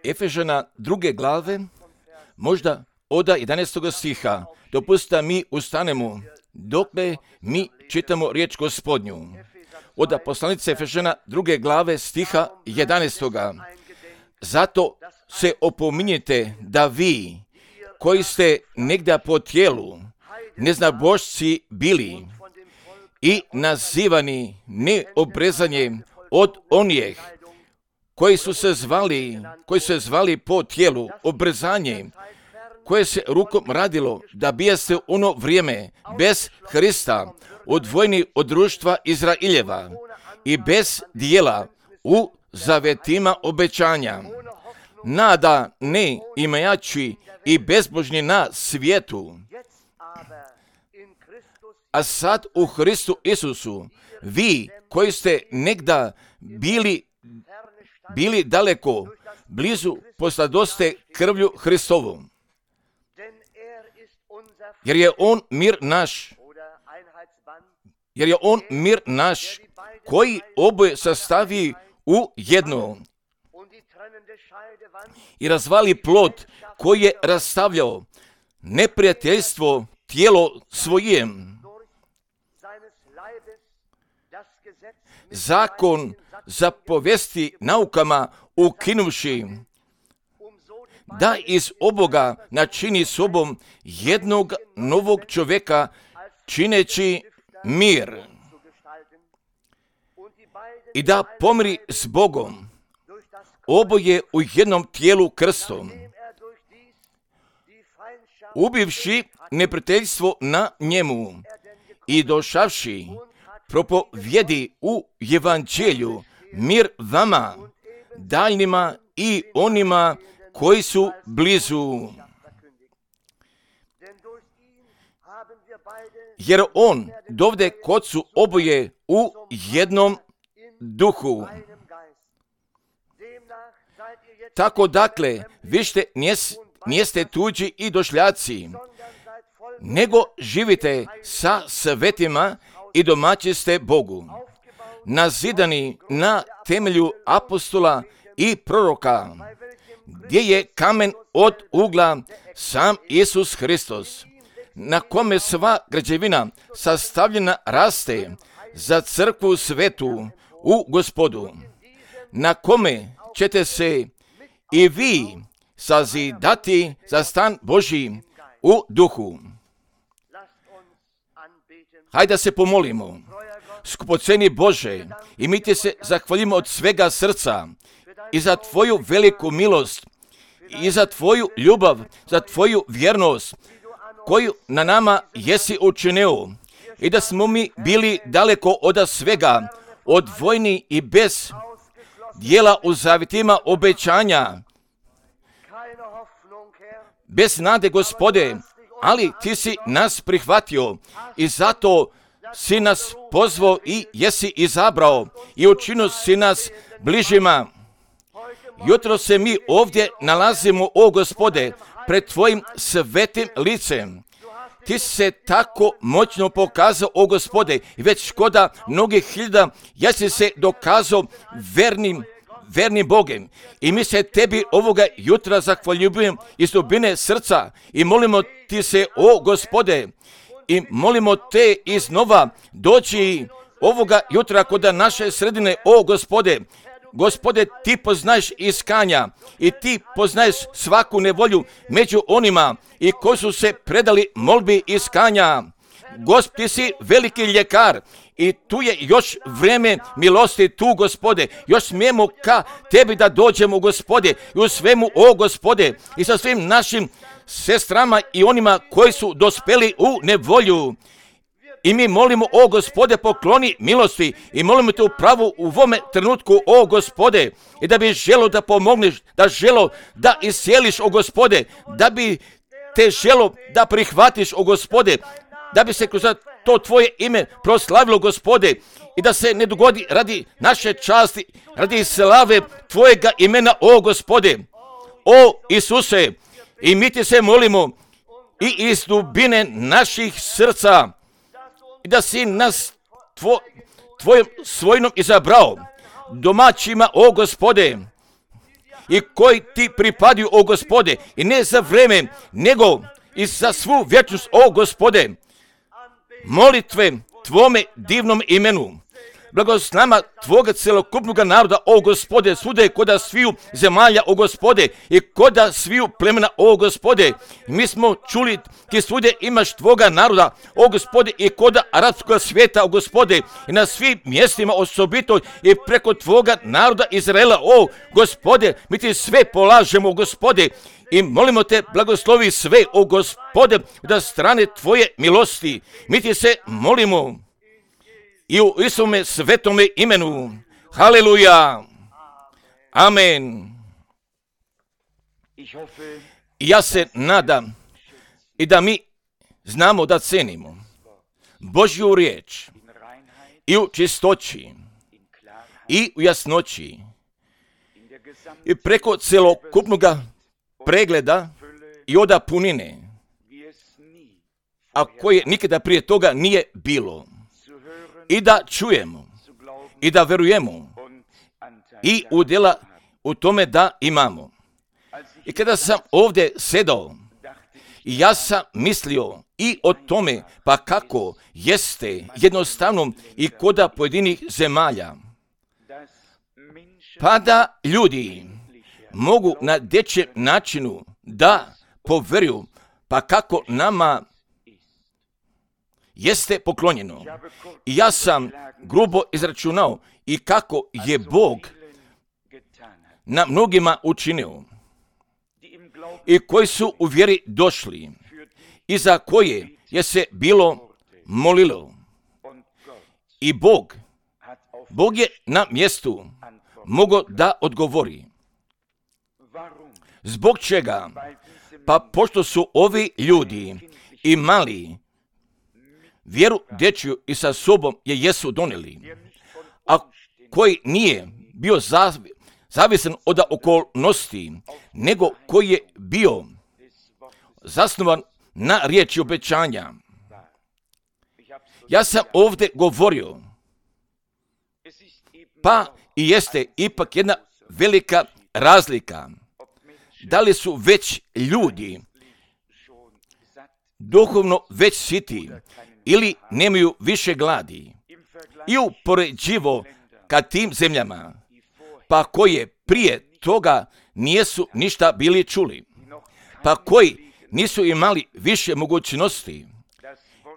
Efežana 2. glave, možda od 11. stiha. Dopustite mi ustanemo, dokle mi čitamo riječ Gospodnju. Od poslanice Efežana 2. glave stiha 11. Zato se opominjete da vi, koji ste negdje po tijelu, neznabošci bili i nazivani neobrezanjem od onih koji su se zvali po tijelu obrezanje, koje se rukom radilo da bijaste ono vrijeme bez Hrista, odvojeni od društva Izraeljeva i bez dijela u zavetima obećanja, nada ne imajači i bezbožni na svijetu. A sad u Hristu Isusu, vi koji ste negda bili daleko, blizu posladoste krvlju Hristovom. Jer je on mir naš, koji oboje sastavi u jedno i razvali plot koji je rastavljao neprijateljstvo tijelo svojem. Zakon zapovesti naukama ukinuvši, da iz oboga načini sobom jednog novog čovjeka, čineći mir i da pomiri s Bogom, oboje u jednom tijelu krstom, ubivši neprijateljstvo na njemu i došavši propovjedi u evanđelju mir vama, daljnima i onima koji su blizu. Jer on dovde kod su oboje u jednom duhu. Tako dakle, više nijeste tuđi i došljaci, nego živite sa svetima i domaći ste Bogu, nazidani na temelju apostola i proroka, gdje je kamen od ugla sam Isus Hristos, na kome sva građevina sastavljena raste za crkvu svetu u Gospodu, na kome ćete se i vi sazidati za stan Božji u duhu. Hajde da se pomolimo. Skupoceni Bože, i mi ti se zahvalimo od svega srca i za tvoju veliku milost i za tvoju ljubav, za tvoju vjernost koju na nama jesi učinio, i da smo mi bili daleko od svega, odvojeni i bez dijela u zavjetima obećanja, bez nade, Gospode, ali ti si nas prihvatio i zato si nas pozvao i jesi izabrao i učinio si nas bližima. Jutro se mi ovdje nalazimo, o Gospode, pred tvojim svetim licem. Ti si se tako moćno pokazao, o Gospode, i već škoda mnogih hiljada jesi se dokazao vernim Bogem. I mi se tebi ovoga jutra zahvaljujemo iz dubine srca i molimo ti se, o Gospode, i molimo te iznova doći ovoga jutra kod naše sredine, o Gospode. Gospode, ti poznaješ iskanja i ti poznaješ svaku nevolju među onima i koji su se predali molbi iskanja. Gospod, ti si veliki ljekar i tu je još vrijeme milosti tu, Gospode. Još smijemo ka tebi da dođemo, Gospode, i u svemu, o Gospode, i sa svim našim sestrama i onima koji su dospeli u nevolju. I mi molimo, o Gospode, pokloni milosti i molimo te upravo u ovome trenutku, o Gospode, i da bi želo da pomogneš, da želo da iscijeliš, o Gospode, da bi te želo da prihvatiš, o Gospode, da bi se kroz to tvoje ime proslavilo, Gospode, i da se ne dogodi radi naše časti, radi slave tvojega imena, o Gospode. O Isuse, i mi ti se molimo i iz dubine naših srca, i da si nas tvojom svojinom izabrao, domaćima, o Gospode, i koji ti pripadaju, o Gospode, i ne za vreme, nego i za svu vječnost, o Gospode. Molitve Tvome divnom imenu. Blagoslov nama Tvoga celokupnog naroda, o Gospode, svuda je koda sviju zemalja, o Gospode, i koda sviju plemena, o Gospode. Mi smo čuli, ti svude imaš Tvoga naroda, o Gospode, i koda arapskog svijeta, o Gospode, i na svim mjestima osobito i preko Tvoga naroda Izraela, o Gospode, mi ti sve polažemo, o Gospode, i molimo te, blagoslovi sve, o Gospode, da strane Tvoje milosti. Mi ti se molimo i u Isuse svetome imenu. Haleluja. Amen. I ja se nadam i da mi znamo da cenimo Božju riječ i u čistoći i u jasnoći i preko celokupnog pregleda i oda punine, a koje nikada prije toga nije bilo. I da čujemo i da verujemo i udjela u tome da imamo. I kada sam ovdje sedao, ja sam mislio i o tome, pa kako jeste jednostavno i koda pojedinih zemalja, pa da ljudi mogu na dječjem načinu da poveruju, pa kako nama jeste poklonjeno. I ja sam grubo izračunao i kako je Bog na mnogima učinio i koji su u vjeri došli i za koje je se bilo molilo. I Bog je na mjestu mogao da odgovori. Zbog čega? Pa pošto su ovi ljudi imali vjeru dječju i sa sobom je jesu donijeli, a koji nije bio zavisan od okolnosti, nego koji je bio zasnovan na riječi obećanja. Ja sam ovdje govorio, pa i jeste ipak jedna velika razlika. Da li su već ljudi duhovno već siti ili nemaju više gladi i upoređivo ka tim zemljama, pa koje prije toga nisu ništa bili čuli, pa koji nisu imali više mogućnosti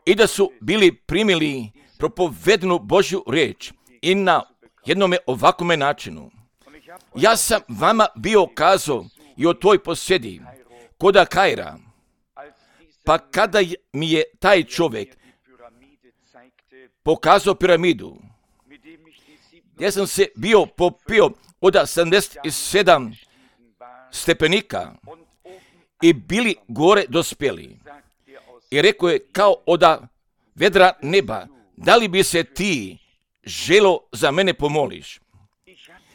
i da su bili primili propovedenu Božju riječ i na jednome ovakome načinu. Ja sam vama bio kazao i o toj posjedi koda Kaira, pa kada mi je taj čovjek pokazao piramidu, gdje sam se bio popio od 77 stepenika i bili gore dospjeli. I rekao je kao od vedra neba, da li bi se ti želo za mene pomoliš?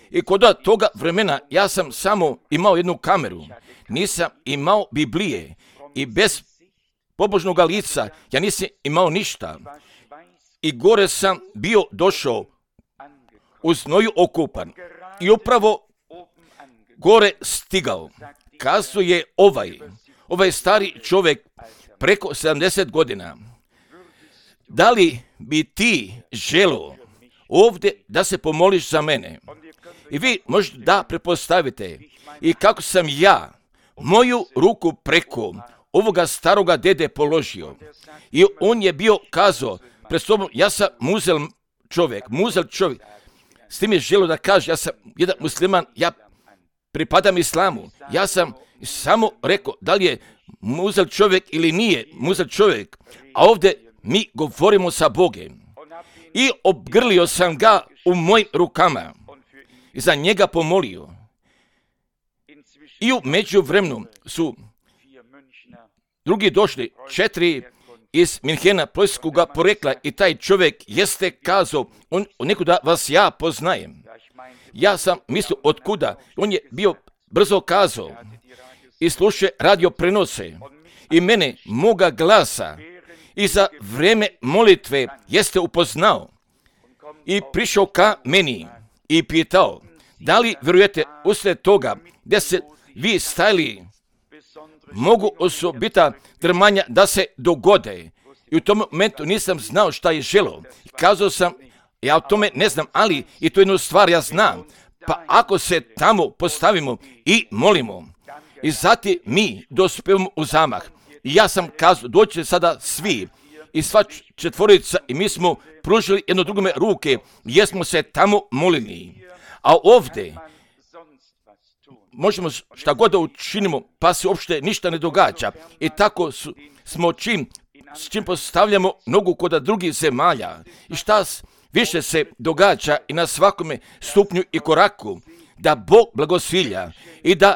I kod toga vremena ja sam samo imao jednu kameru, nisam imao Biblije i bez pobožnog lica ja nisam imao ništa. I gore sam bio došao u znoju okupan i upravo gore stigao. Kazao je ovaj stari čovjek preko 70 godina, da li bi ti želo ovdje da se pomoliš za mene? I vi možete da pretpostavite i kako sam ja moju ruku preko ovoga staroga dede položio. I on je bio kazao pred sobom, ja sam muzel čovjek. S tim je želio da kaže, ja sam jedan musliman, ja pripadam islamu. Ja sam samo rekao, da li je muzel čovjek ili nije muzel čovjek. A ovdje mi govorimo sa Bogom. I obgrlio sam ga u mojim rukama i za njega pomolio. I u međuvremenu su drugi došli, 4 iz Minhena, poljskoga porekla, i taj čovjek jeste kazao, on nekuda vas ja poznajem. Ja sam mislio otkuda, on je bio brzo kazao i slušaj radio prenose i mene, moga glasa, i za vrijeme molitve jeste upoznao i prišao ka meni i pitao, Da li vjerujete usred toga gdje se vi stajali mogu osobita drmanja da se dogode? I u tom momentu nisam znao šta je želo. Kazao sam, ja o tome ne znam, ali i to jednu stvar ja znam. Pa ako se tamo postavimo i molimo, i zatim mi dospijemo u zamah. I ja sam kazao, dođite sada svi i sva četvorica i mi smo pružili jedno drugome ruke jer smo se tamo molili. A ovdje možemo šta god da učinimo pa se uopšte ništa ne događa. I tako smo s čim postavljamo nogu kod drugih zemalja. I šta više se događa i na svakome stupnju i koraku, da Bog blagosvilja i da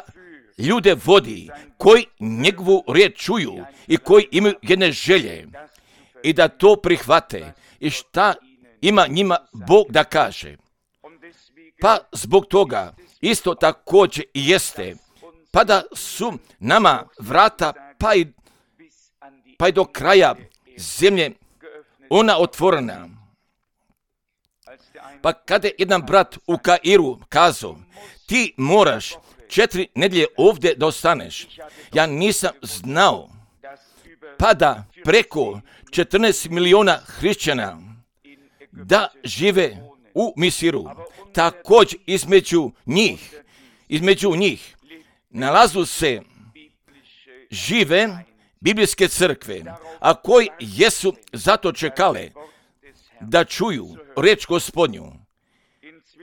ljude vodi koji njegovu riječ čuju i koji imaju jedne želje i da to prihvate i šta ima njima Bog da kaže. Pa zbog toga isto također i jeste, pa da su nama vrata pa i do kraja zemlje ona otvorena. Pa kada je jedan brat u Kairu kazao, ti moraš 4 nedjelje ovdje da ostaneš. Ja nisam znao pa da preko 14 miliona hrišćana da žive u Misiru. Također između njih nalazu se žive biblijske crkve, a koji jesu zato čekale da čuju riječ Gospodnju.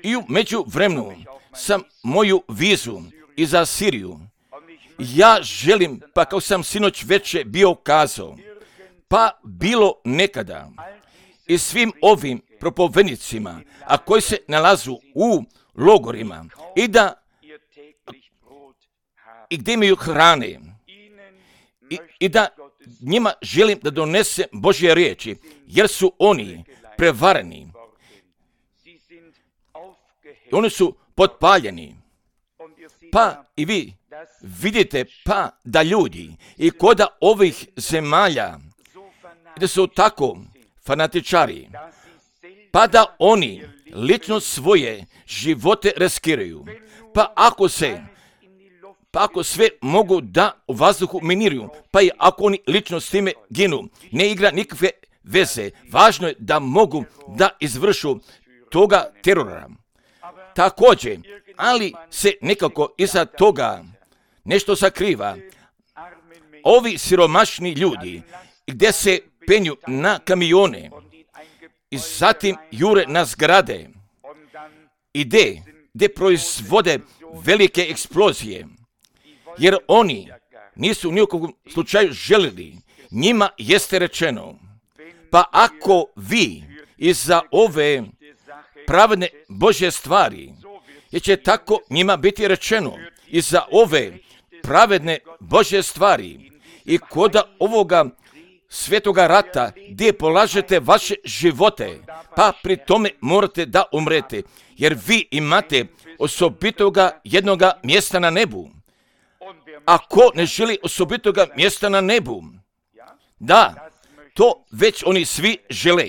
I u međuvremenu sam moju vizu i za Siriju. Ja želim, pa kao sam sinoć večer bio kazao, pa bilo nekada i svim ovim propovednicima, a koji se nalazu u logorima i gdje imaju hrane i da njima želim da donese Božje riječi, jer su oni prevareni. Oni su potpaljeni. Pa i vi vidite pa da ljudi i koda ovih zemalja da su tako fanatičari, pa da oni lično svoje živote riskiraju. Pa ako sve mogu da u vazduhu miniruju, pa i ako oni lično s time ginu, ne igra nikakve veze. Važno je da mogu da izvršu toga terora. Također, ali se nekako iza toga nešto sakriva. Ovi siromašni ljudi gdje se penju na kamione i zatim jure na zgrade i gdje proizvode velike eksplozije, jer oni nisu ni u kakvom slučaju želili. Njima jeste rečeno, pa ako vi iza ove pravedne Božje stvari, jer će tako njima biti rečeno, iza ove pravedne Božje stvari i koda ovoga svetoga rata gdje polažete vaše živote, pa pri tome morate da umrete, jer vi imate osobitoga jednoga mjesta na nebu. Ako ne želi osobitoga mjesta na nebu, da, to već oni svi žele.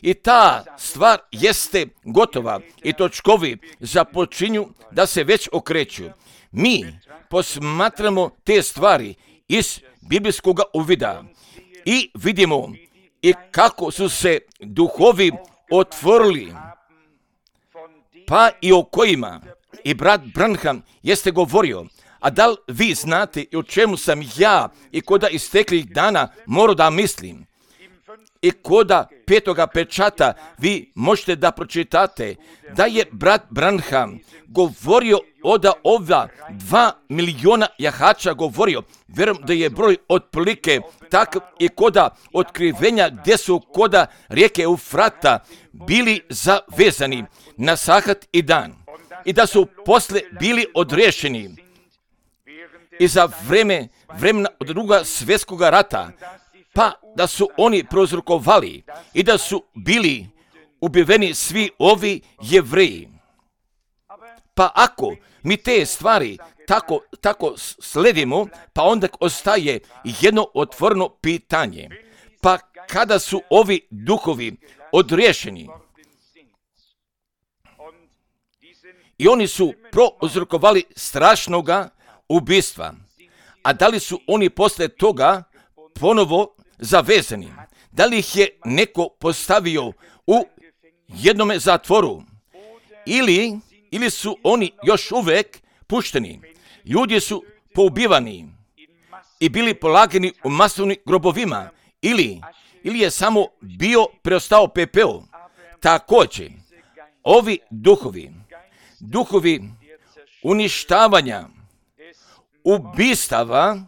I ta stvar jeste gotova i točkovi započinju da se već okreću. Mi posmatramo te stvari iz biblijskog uvida i vidimo i kako su se duhovi otvorili, pa i o kojima i brat Branham jeste govorio. A da li vi znate i o čemu sam ja i koda isteklih dana morao da mislim? I koda 5. pečata vi možete da pročitate da je brat Branham govorio od ova 2 miliona jahača govorio. Vjerujem da je broj otprilike takav i koda otkrivenja gdje su koda rijeke Eufrata bili zavezani na sahat i dan. I da su posle bili odriješeni i za vremena od druga svjetskog rata, pa da su oni prouzrokovali i da su bili ubiveni svi ovi Jevreji. Pa ako mi te stvari tako sledimo, pa onda ostaje jedno otvoreno pitanje. Pa kada su ovi duhovi odriješeni i oni su prouzrokovali strašnoga ubistva. A da li su oni posle toga ponovo zavezani? Da li ih je neko postavio u jednome zatvoru? Ili su oni još uvek pušteni? Ljudi su poubivani i bili polagani u masovnim grobovima. Ili je samo bio preostao pepeo. Također, ovi duhovi uništavanja, ubistava,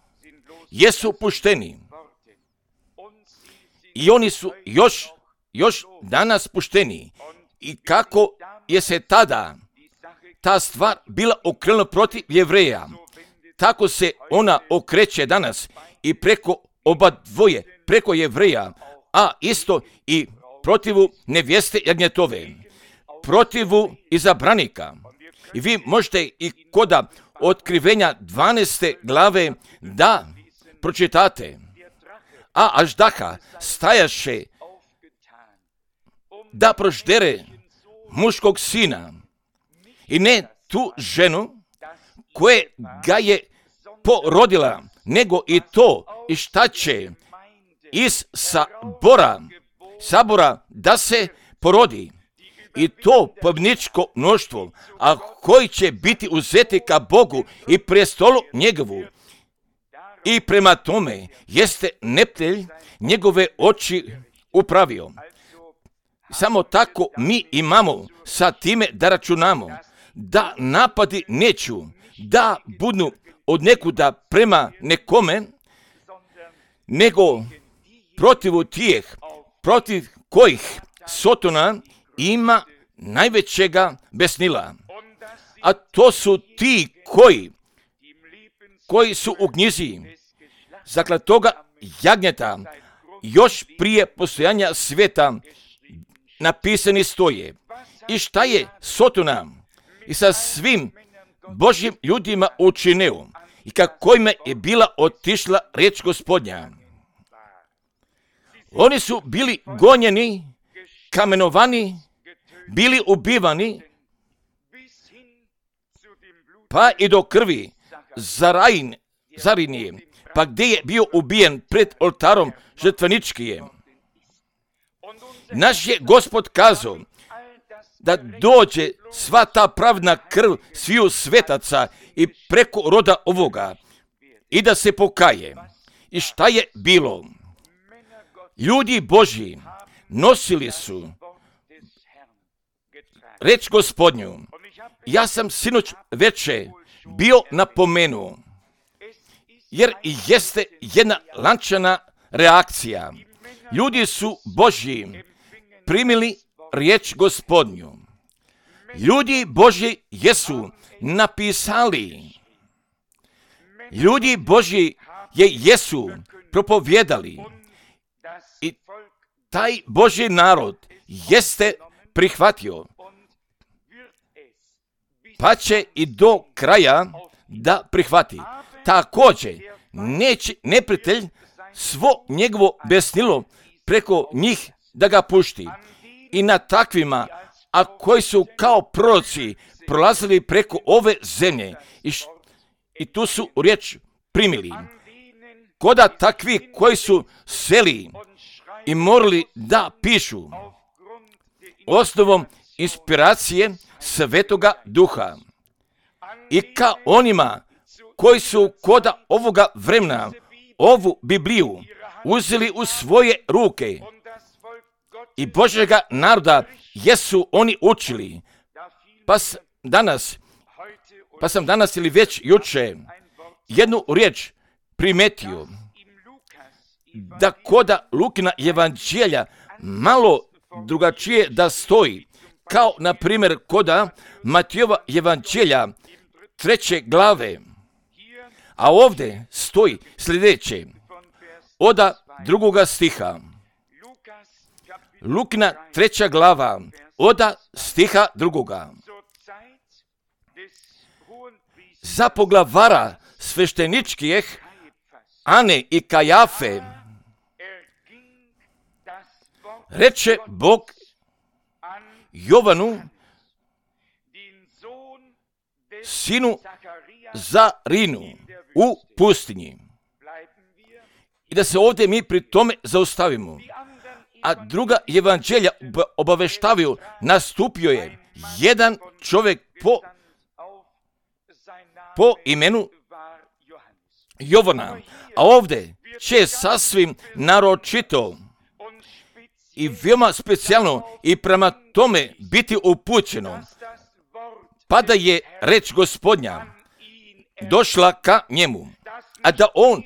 jesu pušteni. I oni su još danas pušteni. I kako je se tada ta stvar bila okrenula protiv Jevreja, tako se ona okreće danas i preko oba dvoje, preko Jevreja, a isto i protivu nevjeste jagnjetove, protivu izabranika. I vi možete i koda Otkrivenja 12. glave da pročitate. A Aždaha stajaše da proždere muškog sina i ne tu ženu koje ga je porodila, nego i to i šta će iz sabora da se porodi. I to pobjedničko mnoštvo, a koji će biti uzeti ka Bogu i prestolu njegovu. I prema tome jeste neprijatelj njegove oči upravio. Samo tako mi imamo sa time da računamo, da napadi neću, da budu od nekuda prema nekome, nego protiv kojih Sotona ima najvećega besnila. A to su ti koji su u knjizi zaklatoga jagnjeta još prije postojanja svijeta napisani stoje. I šta je Sotona i sa svim Božjim ljudima učinio i kako im je bila otišla riječ Gospodnja. Oni su bili gonjeni, kamenovani, bili ubivani, pa i do krvi zarinije, pa gdje je bio ubijen pred oltarom žrtveničkije. Naš je Gospod kazao da dođe sva ta pravna krv sviju svetaca i preko roda ovoga i da se pokaje. I šta je bilo? Ljudi Božji nosili su reč Gospodnju. Ja sam sinoć veče bio napomenuo, jer jeste jedna lančana reakcija. Ljudi su Božji primili riječ Gospodnju. Ljudi Božji jesu napisali. Ljudi Božji jesu propovjedali. I taj Božji narod jeste prihvatio. Pa će i do kraja da prihvati. Također, neće neprijatelj svo njegovo besnilo preko njih da ga pušti. I na takvima, a koji su kao proroci prolazili preko ove zemlje i tu su riječ primili. Koda takvi koji su seli i morali da pišu osnovom inspiracije Svetoga Duha. I ka onima koji su koda ovoga vremena ovu Bibliju uzeli u svoje ruke i Božjega naroda jesu oni učili. Pa sam danas ili već juče jednu riječ primetio, da koda Lukina evanđelja malo drugačije da stoji, kao na primjer koda Matijova evanđelja 3. glave. A ovdje stoji sljedeće, od 2. stiha. Lukina 3. glava, od stiha 2. Za poglavara svešteničkih Ane i Kajafe reče Bog Jovanu, sinu Zarinu u pustinji. I da se ovdje mi pri tome zaustavimo. A druga evanđelja obaveštavaju, nastupio je jedan čovjek po imenu Jovana. A ovdje će sasvim naročito i veoma specijalno i prema tome biti upućeno, pa da je reč Gospodnja došla ka njemu, a da on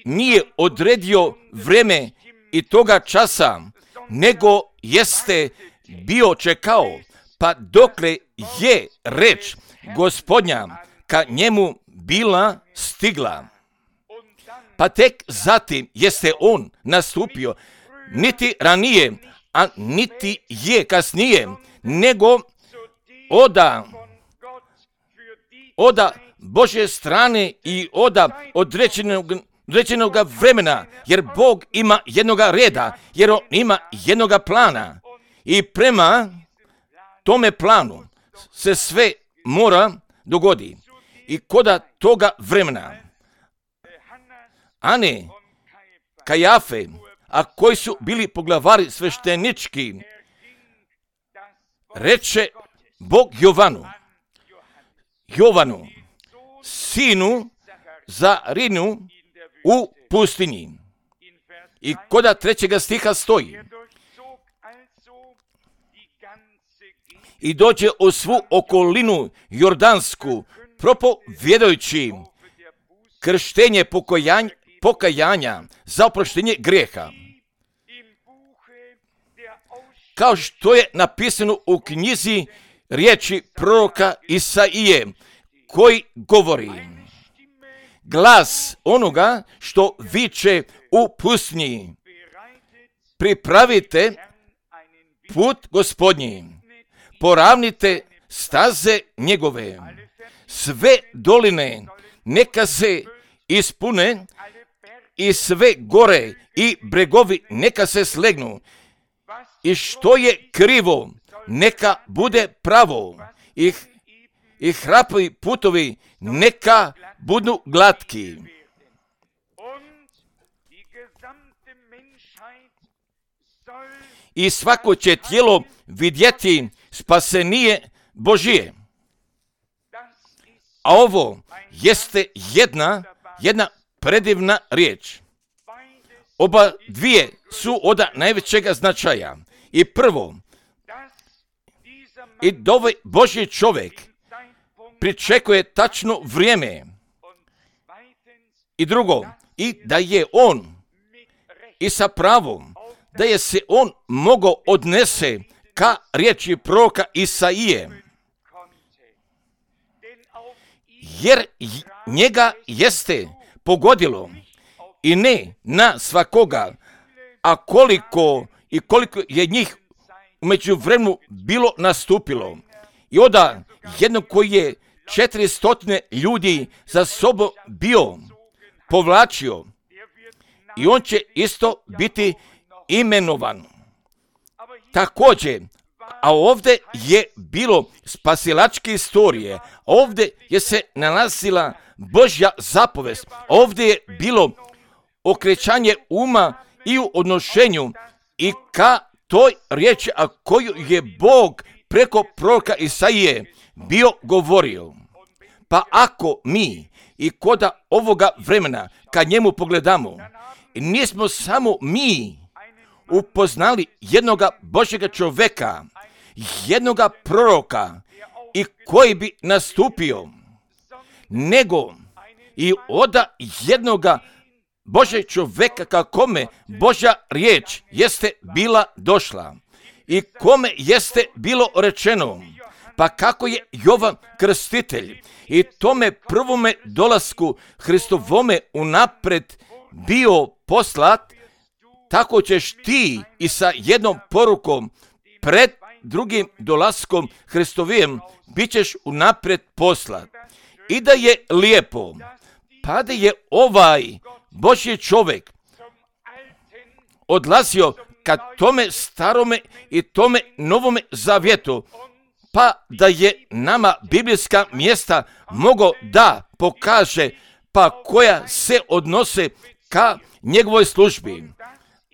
nije odredio vreme i toga časa, nego jeste bio čekao, pa dokle je reč Gospodnja ka njemu bila stigla. Pa tek zatim jeste on nastupio, niti ranije, a niti je kasnije, nego oda Božje strane i oda određenog vremena, jer Bog ima jednoga reda, jer on ima jednoga plana i prema tome planu se sve mora dogodi. I koda toga vremena Ane, Kajafe, a koji su bili poglavari sveštenički, reče Bog Jovanu, sinu Zarinu u pustinji. I koda 3. stiha stoji: i dođe u svu okolinu Jordansku, propovjedajući krštenje pokajanja za oproštenje grijeha. Kao što je napisano u knjizi riječi proroka Isaije, koji govori: glas onoga što viče u pustinji, pripravite put Gospodnji, poravnite staze njegove, sve doline neka se ispune i sve gore i bregovi neka se slegnu, i što je krivo neka bude pravo, i hrapovi putovi neka budu glatki. I svako će tijelo vidjeti spasenije Božije. A ovo jeste jedna predivna riječ. Oba dvije su od najvećega značaja. I prvo, i da ovaj Božji čovjek pričekuje tačno vrijeme. I drugo, i da je on i sa pravom, da je se on mogao odnese ka riječi proroka Isaije. Jer njega jeste pogodilo, i ne na svakoga, a koliko je njih u međuvremenu bilo nastupilo. I onda jednog koji je 400 ljudi za sobom bio povlačio, i on će isto biti imenovan. Također, a ovdje je bilo spasilačke istorije, ovdje je se nalazila Božja zapovest, ovdje je bilo okrećanje uma i u odnošenju i ka toj riječi, a koju je Bog preko proroka Isaije bio govorio. Pa ako mi i koda ovoga vremena kad njemu pogledamo, nismo samo mi upoznali jednoga Božjega čovjeka, jednoga proroka i koji bi nastupio, nego i oda jednoga Božjeg čovjeka ka kome Božja riječ jeste bila došla i kome jeste bilo rečeno, pa kako je Jovan Krstitelj i tome prvome dolasku Hristovome unapred bio poslat, tako ćeš ti i sa jednom porukom pred drugim dolaskom Hristovijem bit ćeš unapred poslat. I da je lijepo, pa da je ovaj Božji čovjek odlazio ka tome starome i tome novome zavjetu, pa da je nama biblijska mjesta mogo da pokaže, pa koja se odnose ka njegovoj službi.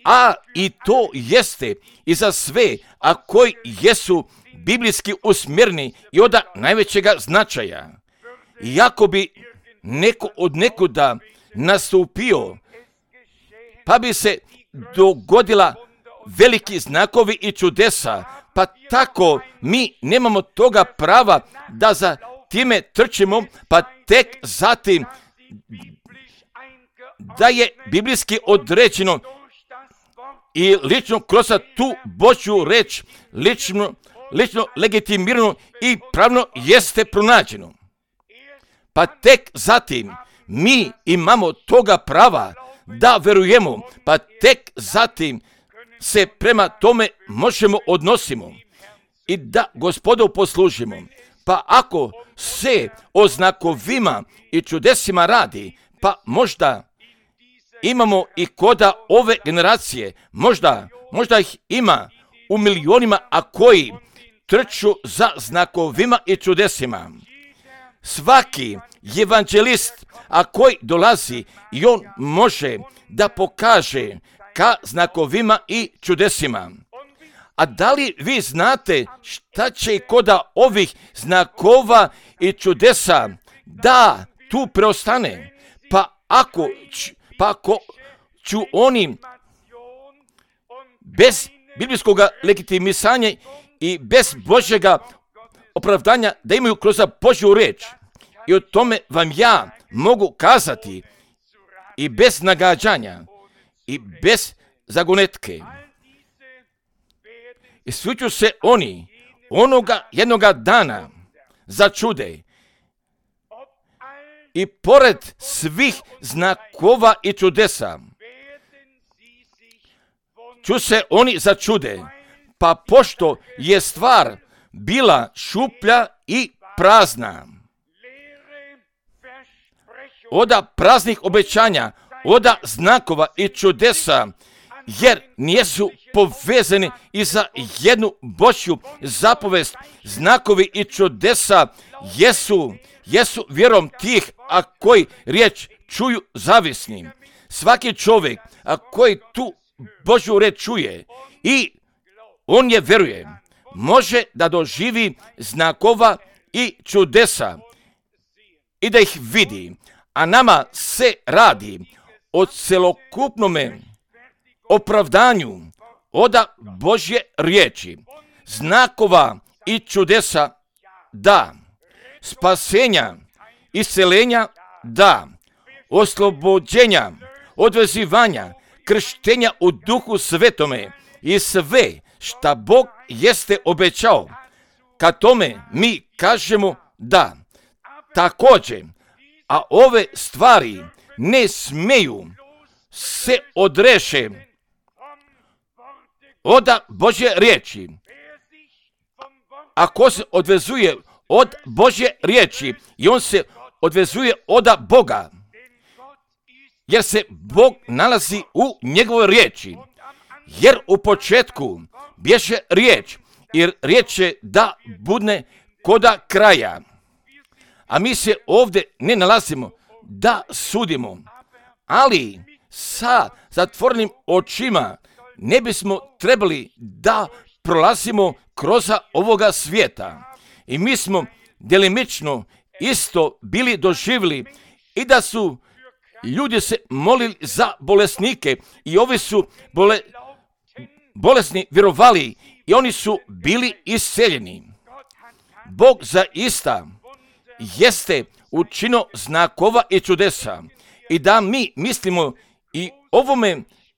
A i to jeste i za sve, a koji jesu biblijski usmjereni i od najvećega značaja. Iako bi neko od nekuda nastupio, pa bi se dogodila veliki znakovi i čudesa, pa tako mi nemamo toga prava da za time trčimo, pa tek zatim da je biblijski određeno i lično kroz tu Božju reč, lično legitimirano i pravno jeste pronađeno. Pa tek zatim mi imamo toga prava da verujemo, pa tek zatim se prema tome možemo odnosimo i da Gospodu poslužimo. Pa ako se o znakovima i čudesima radi, pa možda imamo i koda ove generacije, možda ih ima u milionima, a koji trču za znakovima i čudesima. Svaki evanđelist, a koji dolazi i on može da pokaže ka znakovima i čudesima. A da li vi znate šta će i koda ovih znakova i čudesa da tu preostane? Pa ako ću oni bez biblijskog legitimisanja i bez Božjega opravdanja da imaju kroz Božju reč. I o tome vam ja mogu kazati i bez nagađanja i bez zagonetke. I svi ću se oni onoga jednoga dana začude. I pored svih znakova i čudesa ću se oni začude, pa pošto je stvar bila šuplja i prazna. Oda praznih obećanja, oda znakova i čudesa, jer nijesu povezani i za jednu Božju zapovest. Znakovi i čudesa jesu vjerom tih, a koji riječ čuju zavisni. Svaki čovjek, a koji tu Božju riječ čuje i on je vjeruje, može da doživi znakova i čudesa i da ih vidi. A nama se radi o celokupnome opravdanju oda Božje riječi, znakova i čudesa da, spasenja, isceljenja da, oslobođenja, odvezivanja, krštenja u Duhu Svetome i sve šta Bog jeste obećao, kad tome mi kažemo da. Također, a ove stvari ne smeju se odreše od Božje riječi. Ako se odvezuje od Božje riječi i on se odvezuje od Boga, jer se Bog nalazi u njegovoj riječi. Jer u početku bješe riječ, jer riječ je da budne koda kraja. A mi se ovdje ne nalazimo da sudimo, ali sa zatvorenim očima ne bismo trebali da prolazimo kroz ovoga svijeta. I mi smo delimično isto bili doživjeli i da su ljudi se molili za bolesnike i ovi su bolesni vjerovali i oni su bili isceljeni. Bog zaista jeste učinio znakova i čudesa i da mi mislimo i ovome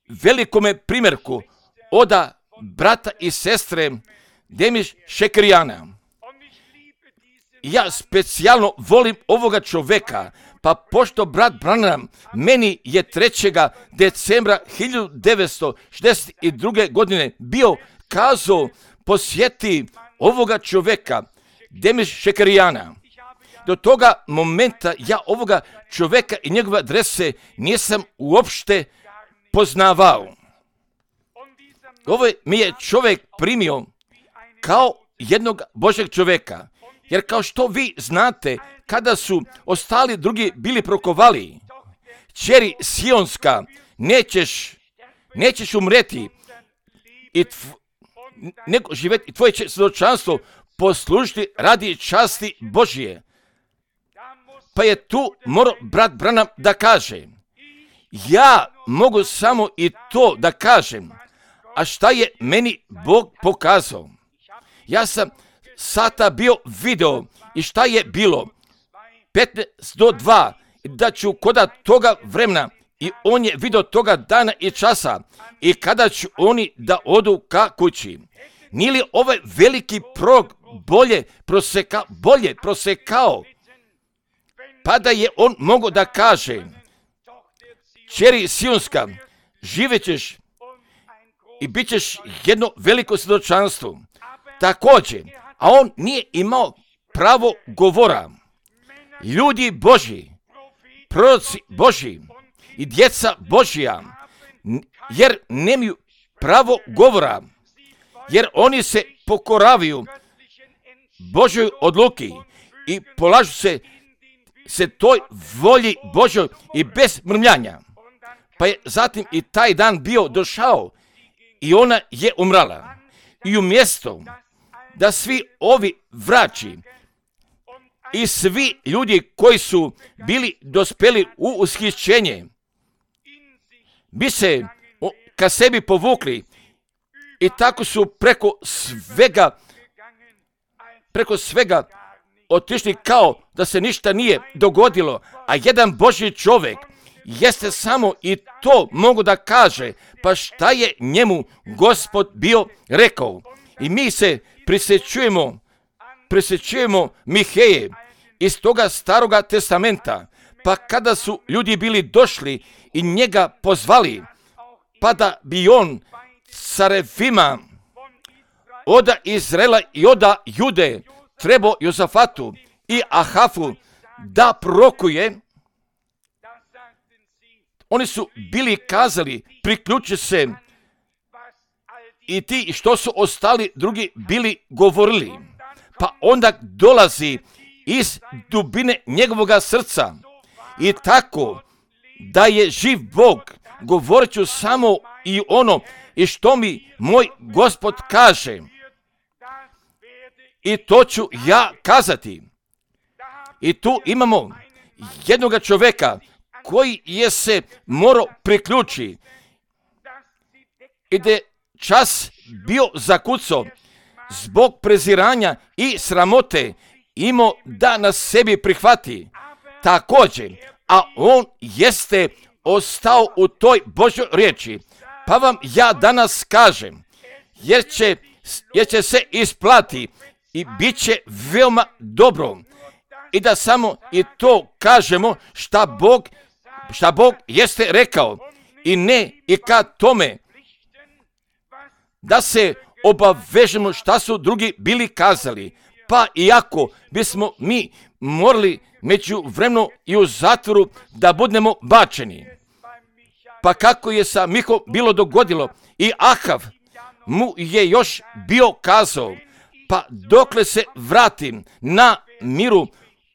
velikome primjerku od brata i sestre Demiš Šekrijana. Ja specijalno volim ovoga čovjeka, pa pošto brat Branham meni je 3. decembra 1962. godine bio kazao posjeti ovoga čovjeka, Demiš Šekrijana. Do toga momenta ja ovoga čovjeka i njegove adrese nisam uopšte poznavao. Ovo mi je čovjek primio kao jednog Božjeg čoveka. Jer kao što vi znate, kada su ostali drugi bili prokovali, kćeri Sionska, nećeš umreti i nego živjeti i tvoje će svjedočanstvo poslužiti radi časti Božje. Pa je tu morao brat Branham da kaže, ja mogu samo i to da kažem, a šta je meni Bog pokazao? Ja sam sata bio video i šta je bilo 15 do 2, da ću koda toga vremena i on je video toga dana i časa i kada ću oni da odu ka kući. Nije li ovaj veliki prorok bolje prosekao? Pa da je on mogao da kaže, kćeri Sionska, živjet ćeš i bit ćeš jedno veliko svjedočanstvo. Također, a on nije imao pravo govora. Ljudi Božji, proroci Božji i djeca Božja, jer nemaju pravo govora, jer oni se pokoravaju Božjoj odluki i polažu se toj volji Božjoj i bez mrmljanja. Pa je zatim i taj dan bio došao i ona je umrala. I umjesto da svi ovi vraći i svi ljudi koji su bili dospeli u ushićenje bi se ka sebi povukli i tako su preko svega otišli kao da se ništa nije dogodilo, a jedan Božji čovjek jeste samo i to mogu da kaže, pa šta je njemu Gospod bio rekao. I mi se prisjećujemo Miheje iz toga staroga testamenta, pa kada su ljudi bili došli i njega pozvali, pa da bi on carevima oda Izraela i oda Jude trebao Jozafatu i Ahafu da prorokuje, oni su bili kazali, priključi se, i ti što su ostali drugi bili govorili. Pa onda dolazi iz dubine njegovoga srca i tako da je živ Bog, govorit ću samo i ono i što mi moj Gospod kaže. I to ću ja kazati. I tu imamo jednoga čovjeka koji je se morao priključiti i da je čas bio zakucao zbog preziranja i sramote imao da nas sebi prihvati. Također, a on jeste ostao u toj Božjoj riječi. Pa vam ja danas kažem, jer će se isplati i bit će veoma dobro. I da samo i to kažemo šta Bog jeste rekao. I ne i ka tome da se obavežemo šta su drugi bili kazali. Pa iako bismo mi morali među vremenu i u zatvoru da budemo bačeni. Pa kako je sa Miho bilo dogodilo i Ahav mu je još bio kazao, pa dokle se vratim na miru,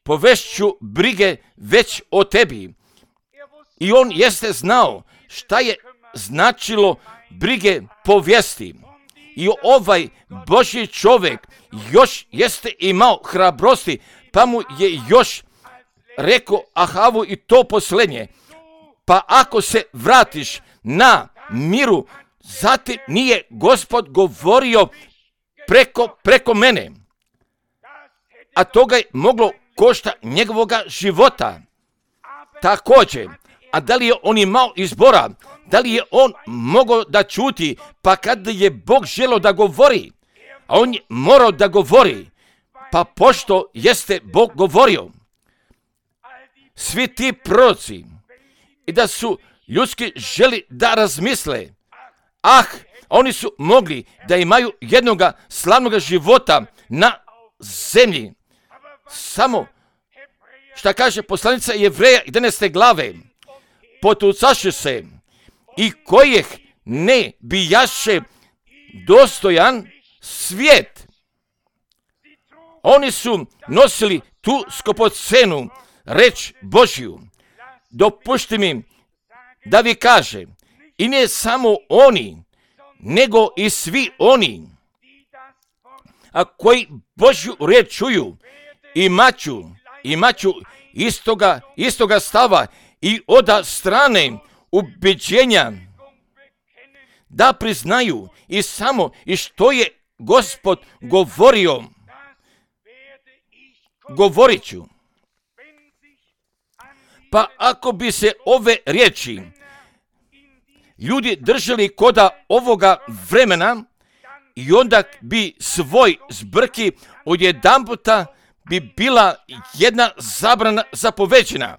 povešću brige već o tebi. I on jeste znao šta je značilo brige povijesti. I ovaj Božji čovjek još jeste imao hrabrosti, pa mu je još rekao Ahavu i to posljednje. Pa ako se vratiš na miru, zatim nije Gospod govorio preko mene. A toga je moglo košta njegovoga života. Također, a da li je on imao izbora? Da li je on mogao da čuti? Pa kada je Bog želio da govori, a on je morao da govori, pa pošto jeste Bog govorio, svi ti proroci i da su ljudski želi da razmisle, oni su mogli da imaju jednoga slavnoga života na zemlji. Samo šta kaže poslanica Jevreja 11. glave, potucaše se i kojih ne bijaše dostojan svijet. Oni su nosili tu skupocenu reč Božju. Dopušti mi da vi kažem, i ne samo oni, nego i svi oni, a koji Božju riječ čuju, imaću istoga stava i od strane ubeđenja, da priznaju i samo i što je Gospod govorio, govorit ću. Pa ako bi se ove riječi ljudi držali koda ovoga vremena, i onda bi svoj zbrki odjedanputa bi bila jedna zabrana zapovećena.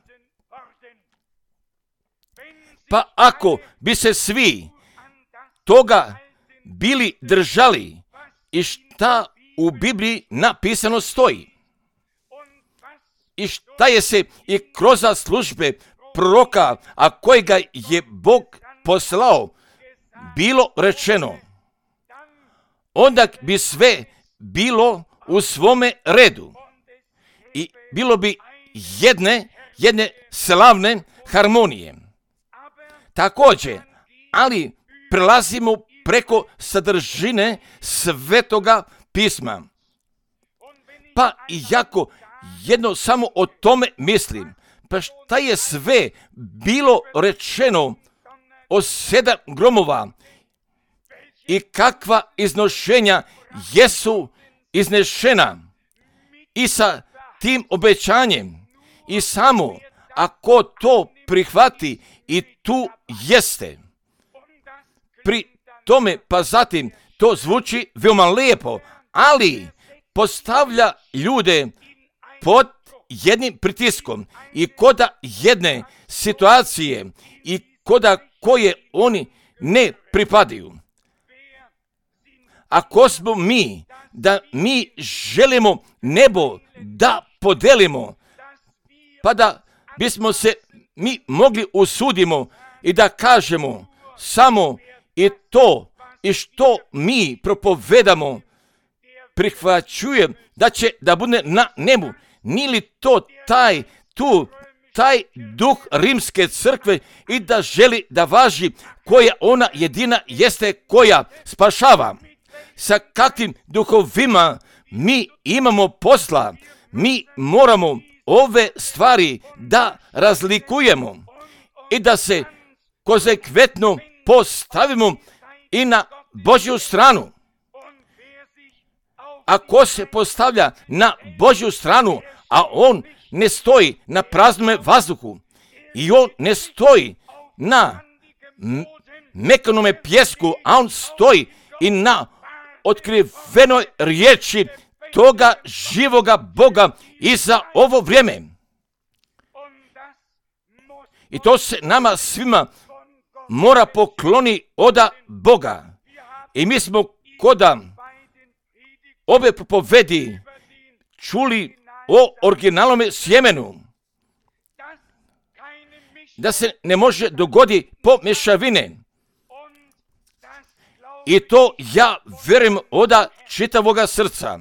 Pa ako bi se svi toga bili držali i šta u Bibliji napisano stoji, i šta je se i kroz službe proroka, a kojega je Bog poslao, bilo rečeno, onda bi sve bilo u svome redu i bilo bi jedne slavne harmonije. Također, ali prelazimo preko sadržine Svetoga pisma. Pa iako jedno samo o tome mislim, pa šta je sve bilo rečeno o 7 gromova i kakva iznošenja jesu iznešena i sa tim obećanjem, i samo ako to prihvati i tu jeste. Pri tome, pa zatim, to zvuči veoma lijepo, ali postavlja ljude pod jednim pritiskom i koda jedne situacije i koda koje oni ne pripadaju. Ako smo mi, da mi želimo nebo da podelimo, pa da bismo se mi mogli usudimo i da kažemo samo i to i što mi propovedamo prihvaćujem da će da bude na nebu. Nije li to taj duh rimske crkve i da želi da važi koja ona jedina jeste koja spašava? Sa kakvim duhovima mi imamo posla? Mi moramo ove stvari da razlikujemo i da se konsekventno postavimo i na Božju stranu. Ako se postavlja na Božju stranu, a on ne stoji na praznome vazduhu i on ne stoji na mekanome pjesku, a on stoji i na otkrivenoj riječi toga živoga Boga i za ovo vrijeme. I to se nama svima mora pokloni od Boga. I mi smo koda ove propovedi čuli o originalnome sjemenu, da se ne može dogoditi pomješavine. I to ja vjerujem od čitavoga srca.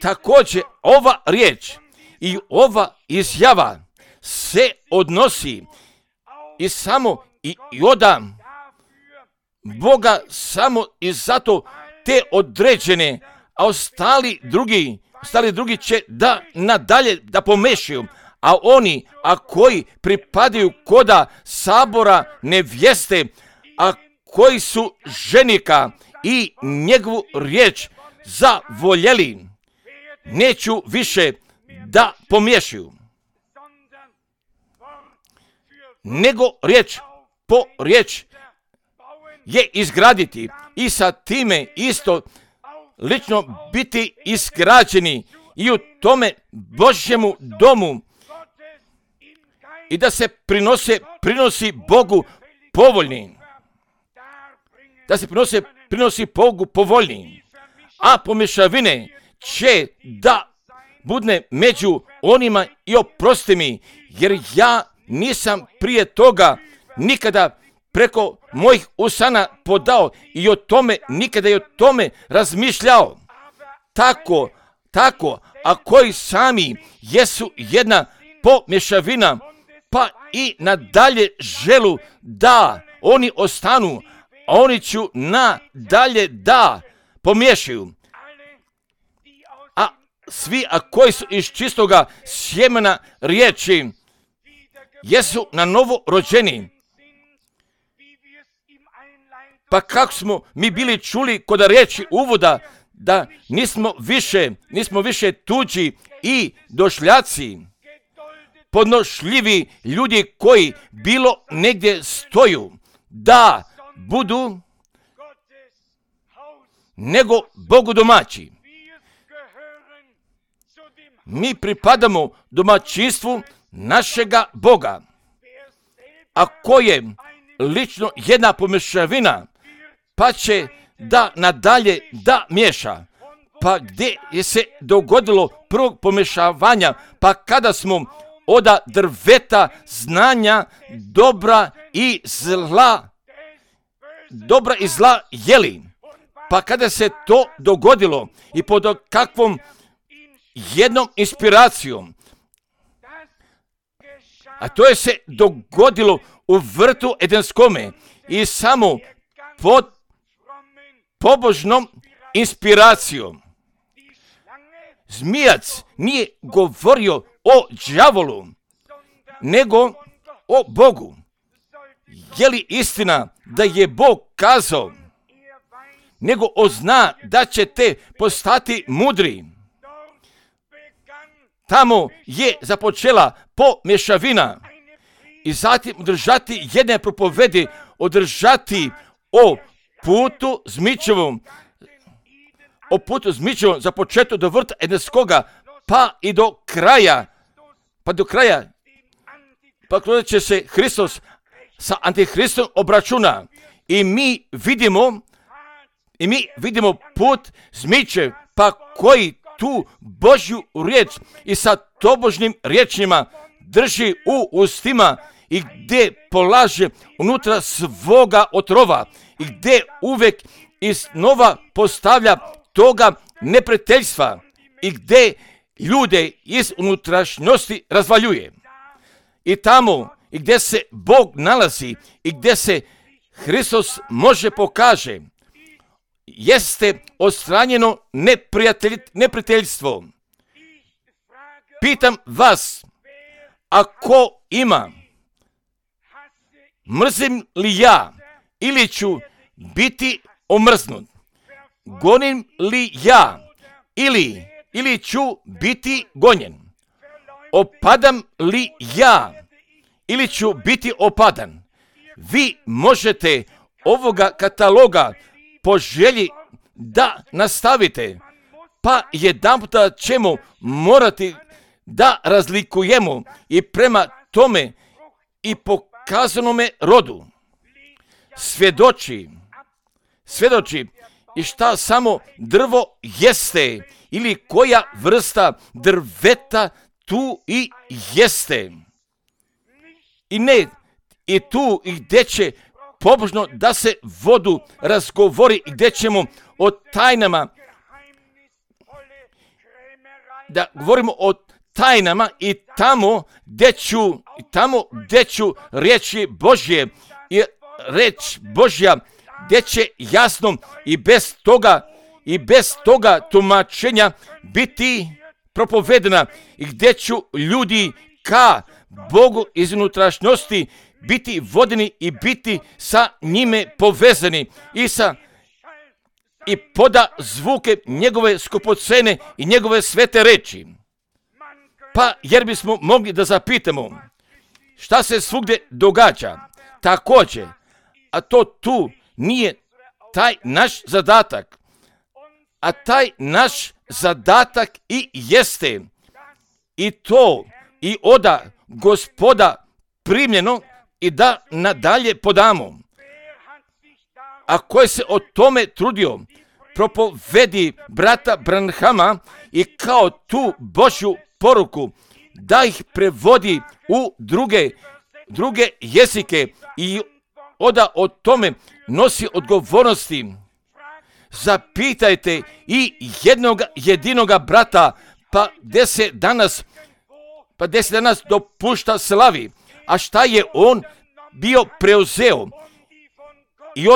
Također ova riječ i ova izjava se odnosi i samo i od Boga samo i zato te određene, a ostali drugi će da nadalje da pomešaju, a oni, a koji pripadaju koda sabora nevjeste, a koji su ženika i njegovu riječ zavoljeli, neću više da pomiješaju, nego riječ po riječ je izgraditi i sa time isto lično biti izgrađeni i u tome Božjemu domu i da se prinosi Bogu povoljni. Da se prinosi Bogu povoljni. A pomješavine će da budne među onima i oprosti mi, jer ja nisam prije toga nikada preko mojih usana podao i o tome, nikada i o tome razmišljao. tako, a koji sami jesu jedna pomješavina, pa i nadalje želu da oni ostanu, a oni ću nadalje da pomiješaju. A svi, koji su iz čistoga sjemena riječi, jesu na novo rođeni. Pa kako smo mi bili čuli kod riječi uvoda, da nismo više tuđi i došljaci, podnošljivi ljudi koji bilo negdje stoju, da budu nego Bogu domaći. Mi pripadamo domaćinstvu našega Boga, a ko je lično jedna pomješavina, pa će da nadalje da miješa. Pa gdje je se dogodilo prvog pomješavanja, pa kada smo od drveta znanja dobra i zla jeli, pa kada se to dogodilo i pod kakvom jednom inspiracijom, a to je se dogodilo u vrtu Edenskome i samo pod pobožnom inspiracijom. Zmijac nije govorio o đavolu, nego o Bogu. Je li istina da je Bog kazao, nego zna da ćete postati mudri? Tamo je započela pomješavina i zatim održati jedne propovedi, održati o putu zmičevom, za početak do vrta Edenskoga, pa i do kraja, pa kada će se Hristos sa Antihristom obračuna i mi vidimo put zmičev, pa koji tu Božju riječ i sa tobožnim riječima drži u ustima i gdje polaže unutra svoga otrova i gdje uvijek iznova postavlja toga neprijateljstva i gdje ljude iz unutrašnjosti razvaljuje. I tamo i gdje se Bog nalazi i gdje se Hristos može pokaže, jeste odstranjeno neprijateljstvo. Pitam vas, ako ima, mrzim li ja ili ću biti omrznut? Gonim li ja ili ću biti gonjen? Opadam li ja ili ću biti opadan? Vi možete ovoga kataloga po želji da nastavite, pa jedanputa ćemo morati da razlikujemo i prema tome i pokazanome rodu svjedoči i šta samo drvo jeste ili koja vrsta drveta tu i jeste. I ne, i tu i gdje će pobožno da se vodu razgovori i gdje ćemo o tajnama, da govorimo o tajnama i tamo gdje ću riječi Božje i reč Božja gdje će jasno i bez toga tumačenja biti propovedena i gdje ću ljudi ka Bogu iz unutrašnjosti biti vodeni i biti sa njime povezani i poda zvuke njegove skupocene i njegove svete reči. Pa jer bismo mogli da zapitamo šta se svugdje događa također, a to tu nije taj naš zadatak, a taj naš zadatak i jeste i to i oda Gospoda primljeno i da nadalje podamo. A koji se o tome trudio, propovedi brata Branhama i kao tu Božju poruku da ih prevodi u druge jezike i oda o tome nosi odgovornosti. zapitajte i jednog jedinoga brata, pa gdje se danas dopušta slavi, a šta je on bio preuzeo i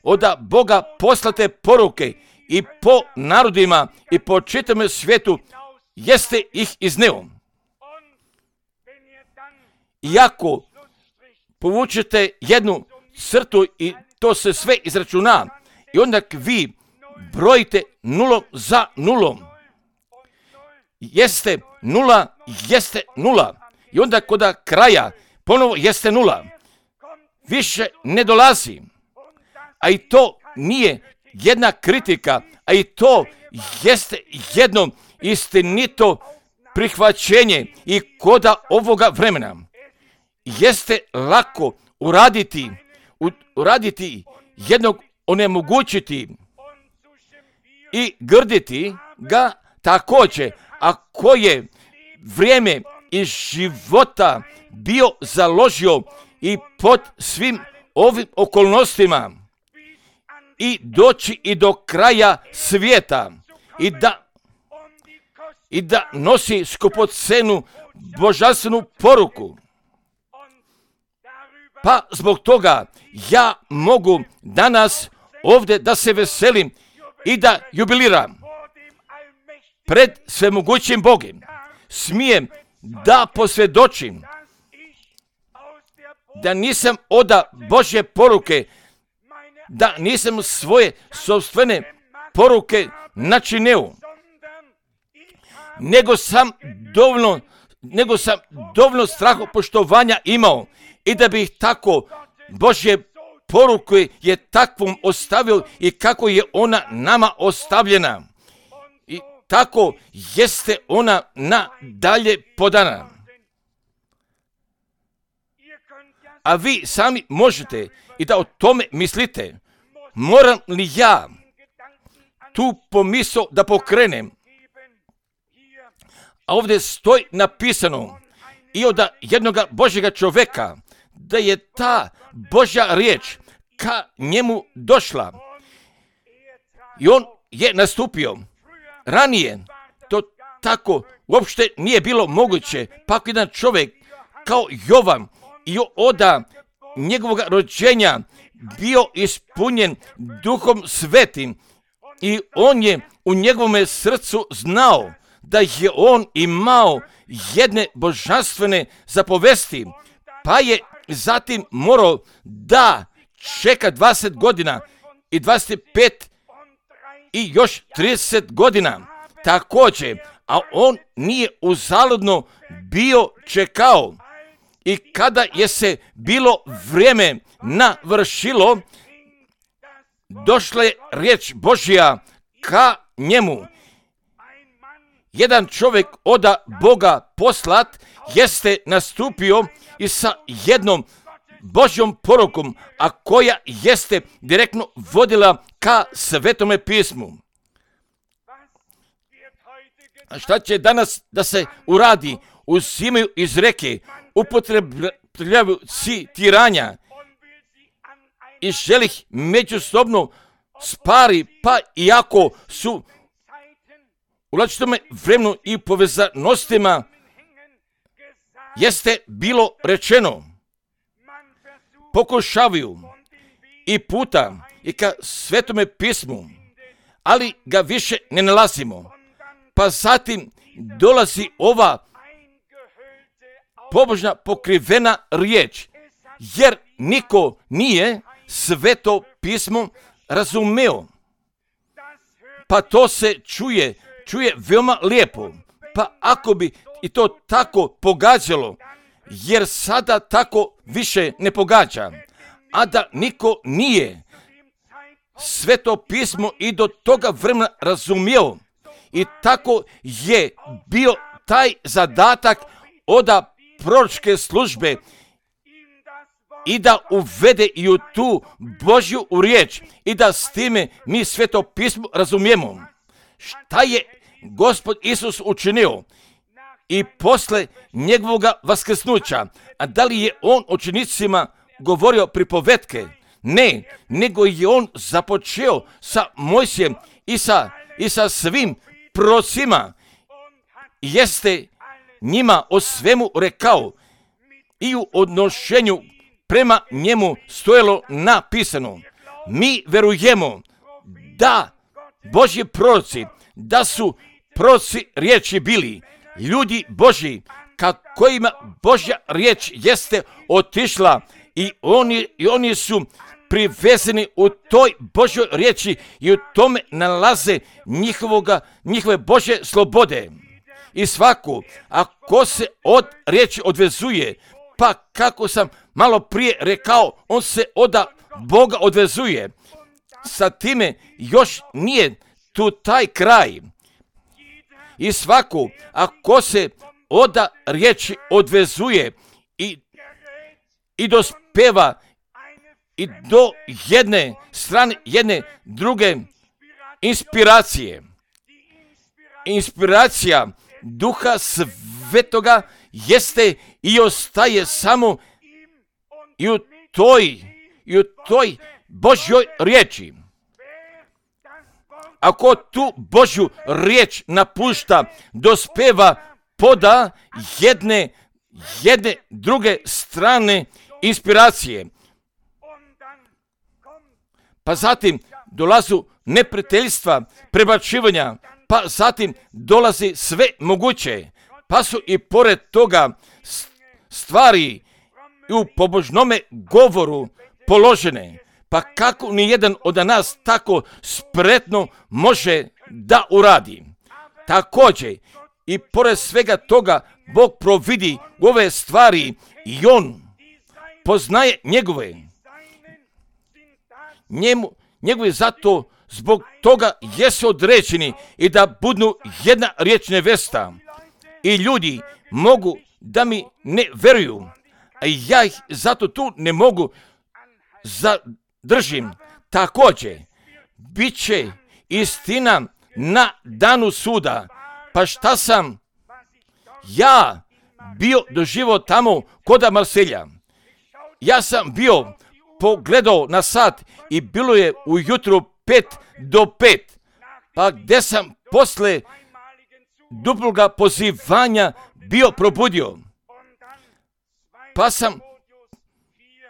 oda Boga poslate poruke i po narodima i po čitavom svijetu jeste ih izneo. Iako povučete jednu crtu i to se sve izračuna i onda vi brojite nulom za nulom. Jeste nula i onda kod kraja ponovo jeste nula. Više ne dolazi. A i to nije jedna kritika, a i to jeste jedno istinito prihvaćenje i koda ovoga vremena. Jeste lako uraditi jednog onemogućiti i grditi ga također, ako je vrijeme iz života bio založio i pod svim ovim okolnostima i doći i do kraja svijeta i da nosi skupocenu božanstvenu poruku. Pa zbog toga ja mogu danas ovdje da se veselim i da jubiliram pred svemogućim Bogom. Smijem da posvjedočim da nisam oda Božje poruke, da nisam svoje sopstvene poruke načinio, nego sam dovoljno strahopoštovanja imao i da bih tako Božje poruke je takvom ostavio i kako je ona nama ostavljena. I tako jeste ona nadalje podana. A vi sami možete i da o tome mislite. Moram li ja tu pomisao da pokrenem? A ovdje stoji napisano i od jednoga Božjega čovjeka da je ta Božja riječ ka njemu došla. I on je nastupio. Ranije to tako uopšte nije bilo moguće. Pa jedan čovjek kao Jovan i oda njegovog rođenja bio ispunjen Duhom Svetim i on je u njegovom srcu znao da je on imao jedne božanstvene zapovesti, pa je zatim morao da čeka 20 godina i 25 i još 30 godina također, a on nije uzaludno bio čekao. I kada je se bilo vrijeme navršilo, došla je riječ Božja ka njemu. Jedan čovjek od Boga poslat jeste nastupio i sa jednom Božjom porukom, a koja jeste direktno vodila ka Svetome pismu. A šta će danas da se uradi? Uzimaju iz reke, upotrebljavaju tiranja i želi ih međusobno spari, pa iako su u različitom vremenu i povezanostima jeste bilo rečeno, pokušavaju i puta i ka Svetome pismu, ali ga više ne nalazimo. Pa zatim dolazi ova pobožna pokrivena riječ, jer niko nije Sveto pismo razumeo. Pa to se čuje veoma lijepo. Pa ako bi i to tako pogađalo, jer sada tako više ne pogađa, a da niko nije Sveto pismo i do toga vremena razumio, i tako je bio taj zadatak od proročke službe i da uvede i u tu Božju riječ i da s time mi Sveto pismo razumijemo. Šta je Gospod Isus učinio i posle njegovog vaskrsnuća, a da li je on učenicima govorio pripovetke? Ne, nego je on započeo sa Mojsijem i sa svim prorocima. Jeste njima o svemu rekao i u odnošenju prema njemu stojalo napisano. Mi verujemo da Božji proroci, da su proroci riječi bili ljudi Božji, kojima Božja riječ jeste otišla i oni su privezeni u toj Božjoj riječi i u tome nalaze njihove Božje slobode. I svaku, ako se od riječi odvezuje, pa kako sam malo prije rekao, on se od Boga odvezuje. Sa time još nije tu taj kraj. I svaku, ako se od riječi odvezuje i dospeva i do jedne strane, jedne druge inspiracije. Inspiracija Duha Svetoga jeste i ostaje samo i u toj Božjoj riječi. Ako tu Božju riječ napušta, dospeva poda jedne druge strane inspiracije. Pa zatim dolazu neprijateljstva, prebačivanja, pa zatim dolazi sve moguće, pa su i pored toga stvari u pobožnome govoru položene. Pa kako nijedan od nas tako spretno može da uradi? Također, i pored svega toga, Bog providi ove stvari i on poznaje njegove. Njegovi zato zbog toga jesu određeni i da budu jedna riječ nevesta. I ljudi mogu da mi ne veruju, a ja ih zato tu ne mogu zadržim. Također, bit će istina na danu suda. Pa šta sam ja bio doživio tamo kod Marselja? Ja sam bio pogledao na sat i bilo je ujutru 5 do 5. Pa gdje sam posle duploga pozivanja bio probudio. Pa sam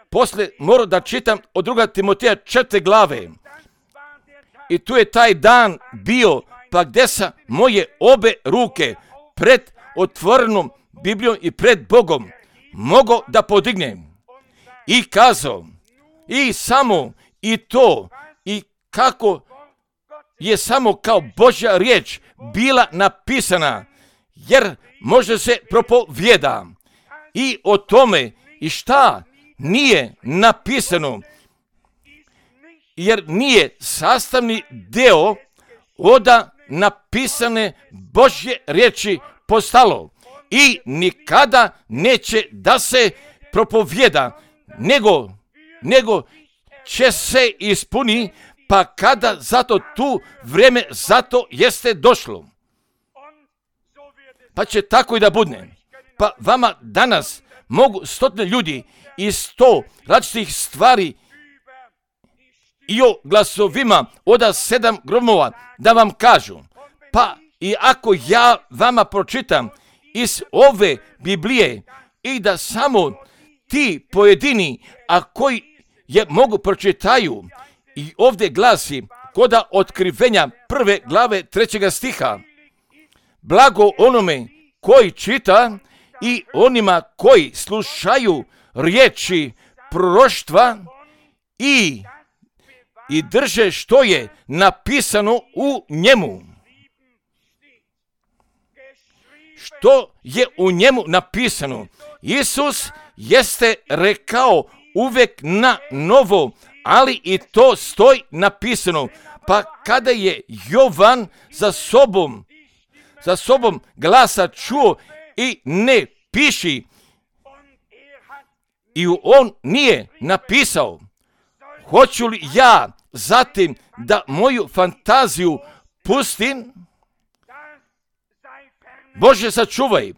posle morao da čitam od 2. Timoteja 4 glave. I tu je taj dan bio, pa gdje sam moje obe ruke pred otvorenom Biblijom i pred Bogom mogao da podignem. I kazao, i samo i to, i kako je samo kao Božja riječ bila napisana, jer može se propovjeda. I o tome i šta nije napisano, jer nije sastavni deo od napisane Božje riječi postalo i nikada neće da se propovjeda, nego će se ispuni, pa kada zato tu vrijeme zato jeste došlo. Pa će tako i da bude. Pa vama danas mogu 100 ljudi i 100 različitih stvari i o glasovima od 7 gromova da vam kažu. Pa i ako ja vama pročitam iz ove Biblije i da samo ti pojedini, a koji je mogu pročitaju, i ovdje glasi kod Otkrivenja 1. glave 3. stiha, blago onome koji čita i onima koji slušaju riječi proroštva i drže što je napisano u njemu. Što je u njemu napisano? Isus jeste rekao uvijek na novo, ali i to stoji napisano. Pa kada je Jovan za sobom glasa čuo i ne piši, i on nije napisao, hoću li ja zatim da moju fantaziju pustim? Bože, sačuvaj.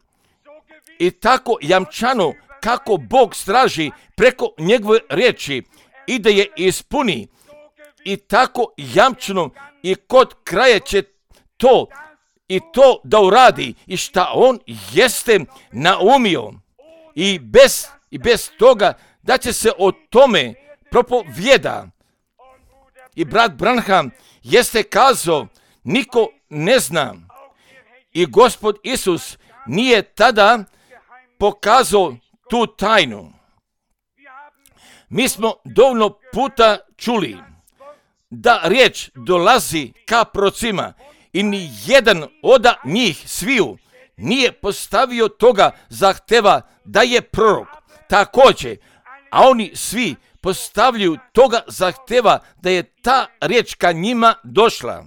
I tako jamčano kako Bog straži preko njegove riječi i da je ispuni. I tako jamčeno i kod kraja će to i to da uradi i šta on jeste naumio. I bez toga da će se o tome propovjeda. I brat Branham jeste kazao, niko ne zna. I Gospod Isus nije tada pokazao tu tajnu. Mi smo dovoljno puta čuli da riječ dolazi ka prorocima i ni jedan od njih sviju nije postavio toga zahteva da je prorok. Također, a oni svi postavljaju toga zahteva da je ta riječ ka njima došla.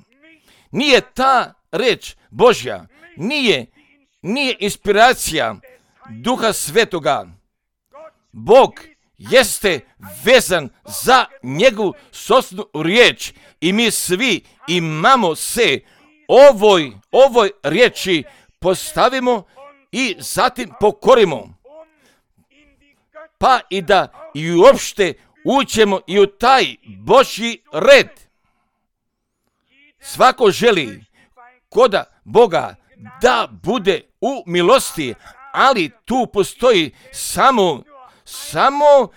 Nije ta riječ Božja, nije inspiracija Duha Svetoga. Bog jeste vezan za njegovu sopstvenu riječ i mi svi imamo se ovoj riječi postavimo i zatim pokorimo. Pa i da i uopšte uđemo i u taj Božji red. Svako želi koda Boga da bude u milosti, ali tu postoji samo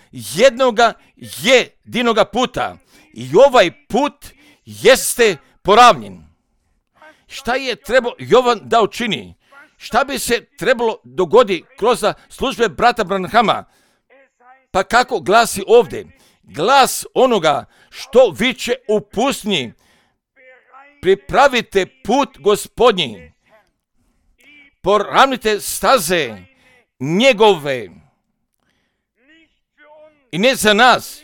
jedinoga puta. I ovaj put jeste poravnjen. Šta je trebao Jovan da učini? Šta bi se trebalo dogoditi kroz službe brata Branhama? Pa kako glasi ovdje? Glas onoga što viče u pustinji. Pripravite put Gospodnji. Poravnite staze njegove. I ne za nas,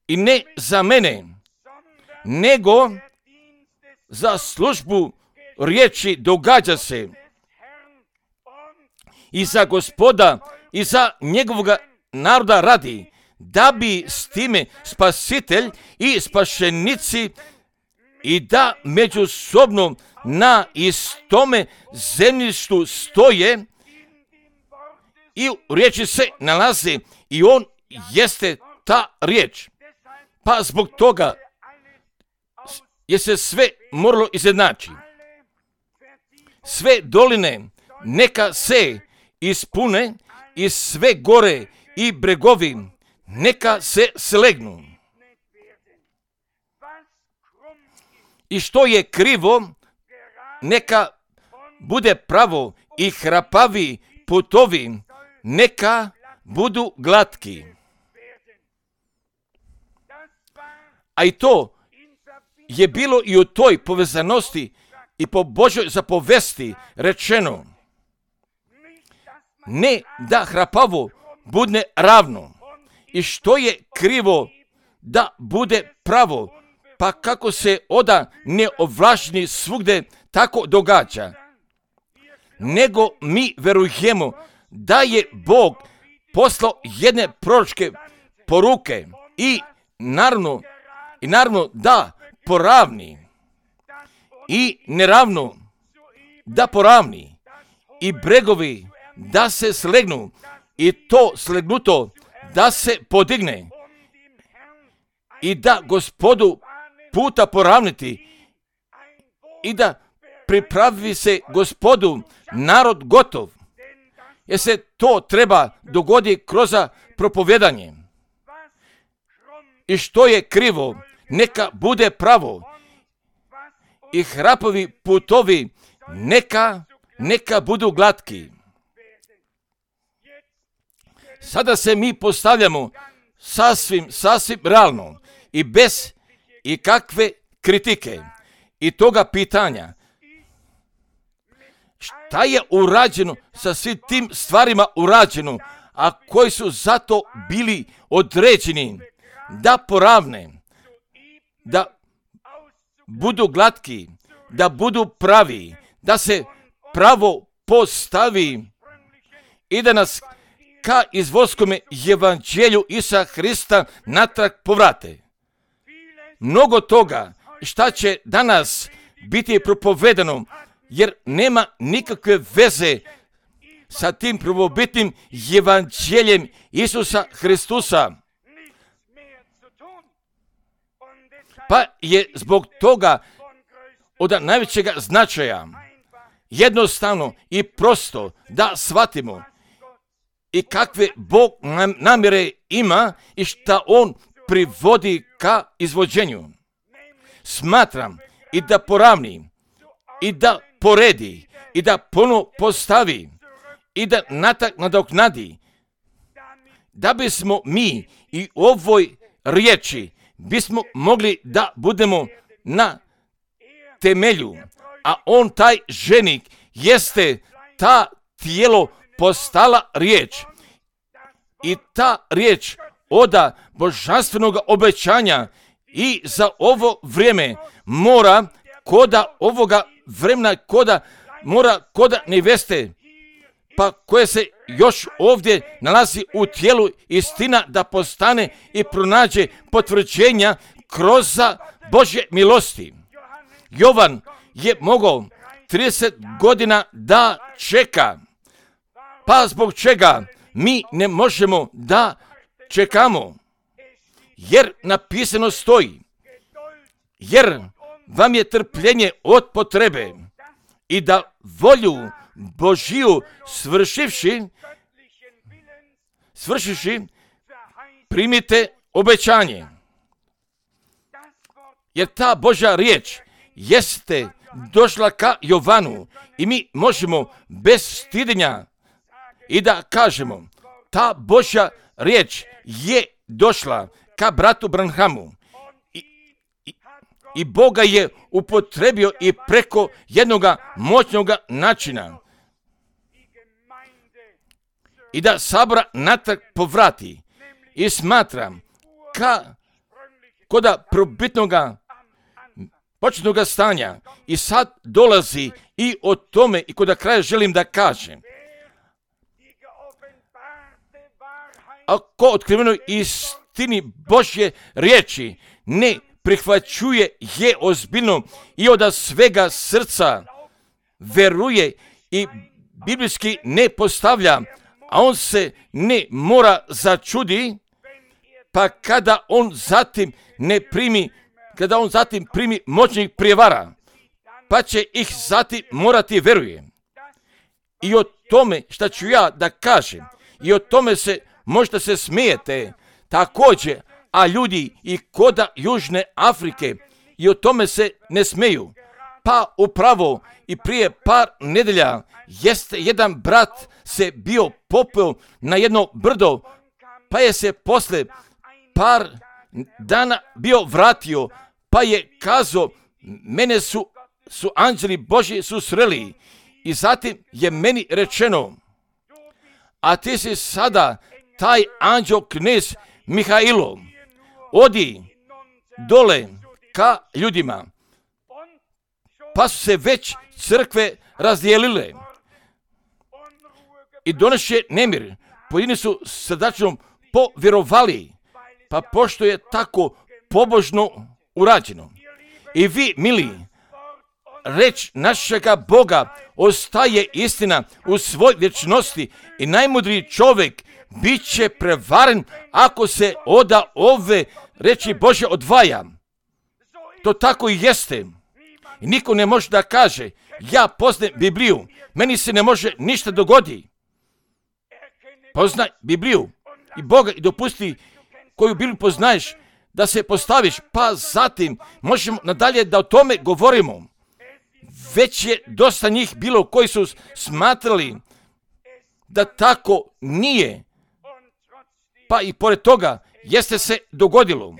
i ne za mene, nego za službu riječi događa se. I za Gospoda, i za njegovoga naroda radi, da bi s time spasitelj i spašenici i da međusobno na istome zemljištu stoje i u riječi se nalazi i on jeste ta riječ. Pa zbog toga je se sve moralo izjednači. Sve doline neka se ispune i sve gore i bregovi neka se slegnu. I što je krivo, neka bude pravo i hrapavi putovi, neka budu glatki. A i to je bilo i u toj povezanosti i po Božoj zapovesti rečeno. Ne da hrapavo bude ravno. I što je krivo da bude pravo, pa kako se oda neovlašteni svugde tako događa. Nego mi verujemo da je Bog poslao jedne proročke poruke i naravno da poravni i neravno da poravni i bregovi da se slegnu i to slegnuto da se podigne i da Gospodu puta poravniti i da pripravi se Gospodu narod gotov. Jer se to treba dogoditi kroz propovjedanje. I što je krivo, neka bude pravo. I hrapovi putovi neka budu glatki. Sada se mi postavljamo sasvim realno i bez ikakve kritike i toga pitanja. Šta je urađeno sa svim tim stvarima urađeno, a koji su zato bili određeni da poravne, da budu glatki, da budu pravi, da se pravo postavi i da nas ka izvorskome evanđelju Isusa Hrista natrag povrate. Mnogo toga šta će danas biti propovedano, jer nema nikakve veze sa tim prvobitnim evanđeljem Isusa Hristusa. Pa je zbog toga od najvećega značaja jednostavno i prosto da shvatimo i kakve Bog namjere ima i šta On privodi ka izvođenju. Smatram i da poravni, i da poredi, i da ponovo postavi, i da nadoknadi, da bismo mi i ovoj riječi bismo mogli da budemo na temelju, a on taj ženik jeste ta tijelo postala riječ i ta riječ oda božanstvenog obećanja i za ovo vrijeme mora koda ovoga vremena mora koda neveste pa koje se još ovdje nalazi u tijelu istina da postane i pronađe potvrđenja kroz Božje milosti. Jovan je mogao 30 godina da čeka. Pa zbog čega mi ne možemo da čekamo? Jer napisano stoji, jer vam je trpljenje od potrebe i da volju Božiju svršivši, primite obećanje. Jer ta Božja riječ jeste došla ka Jovanu i mi možemo bez stidenja i da kažemo, ta Božja riječ je došla ka bratu Branhamu i Boga je upotrebio i preko jednoga moćnog načina i da sabora natrag povrati. I smatram koda probitnoga početnoga stanja i sad dolazi i o tome i koda kraja želim da kažem. Ako otkrivenoj istini Božje riječi ne prihvaćuje je ozbiljno i od svega srca veruje i biblijski ne postavlja, a on se ne mora začudi, pa kada on zatim primi moćnih prijevara, pa će ih zatim morati veruje. I o tome šta ću ja da kažem, i o tome se možda se smijete također, a ljudi i koda Južne Afrike i o tome se ne smeju. Pa upravo i prije par nedelja jeste jedan brat se bio popeo na jedno brdo, pa je se posle par dana bio vratio, pa je kazao, mene su anđeli Božji susreli i zatim je meni rečeno, a ti si sada taj anđel knez Mihailo, odi dole ka ljudima, pa su se već crkve razdijelile i doneše nemir. Pojedini su srdačno povjerovali, pa pošto je tako pobožno urađeno. I vi, mili, reč našega Boga ostaje istina u svoj vječnosti i najmudriji čovjek bit će prevaren ako se oda ove reči Božje odvaja. To tako i jeste. I niko ne može da kaže, ja poznajem Bibliju, meni se ne može ništa dogodi. Poznaj Bibliju i Boga i dopusti koju Bibliju poznaješ da se postaviš, pa zatim možemo nadalje da o tome govorimo. Već je dosta njih bilo koji su smatrali da tako nije, pa i pored toga jeste se dogodilo.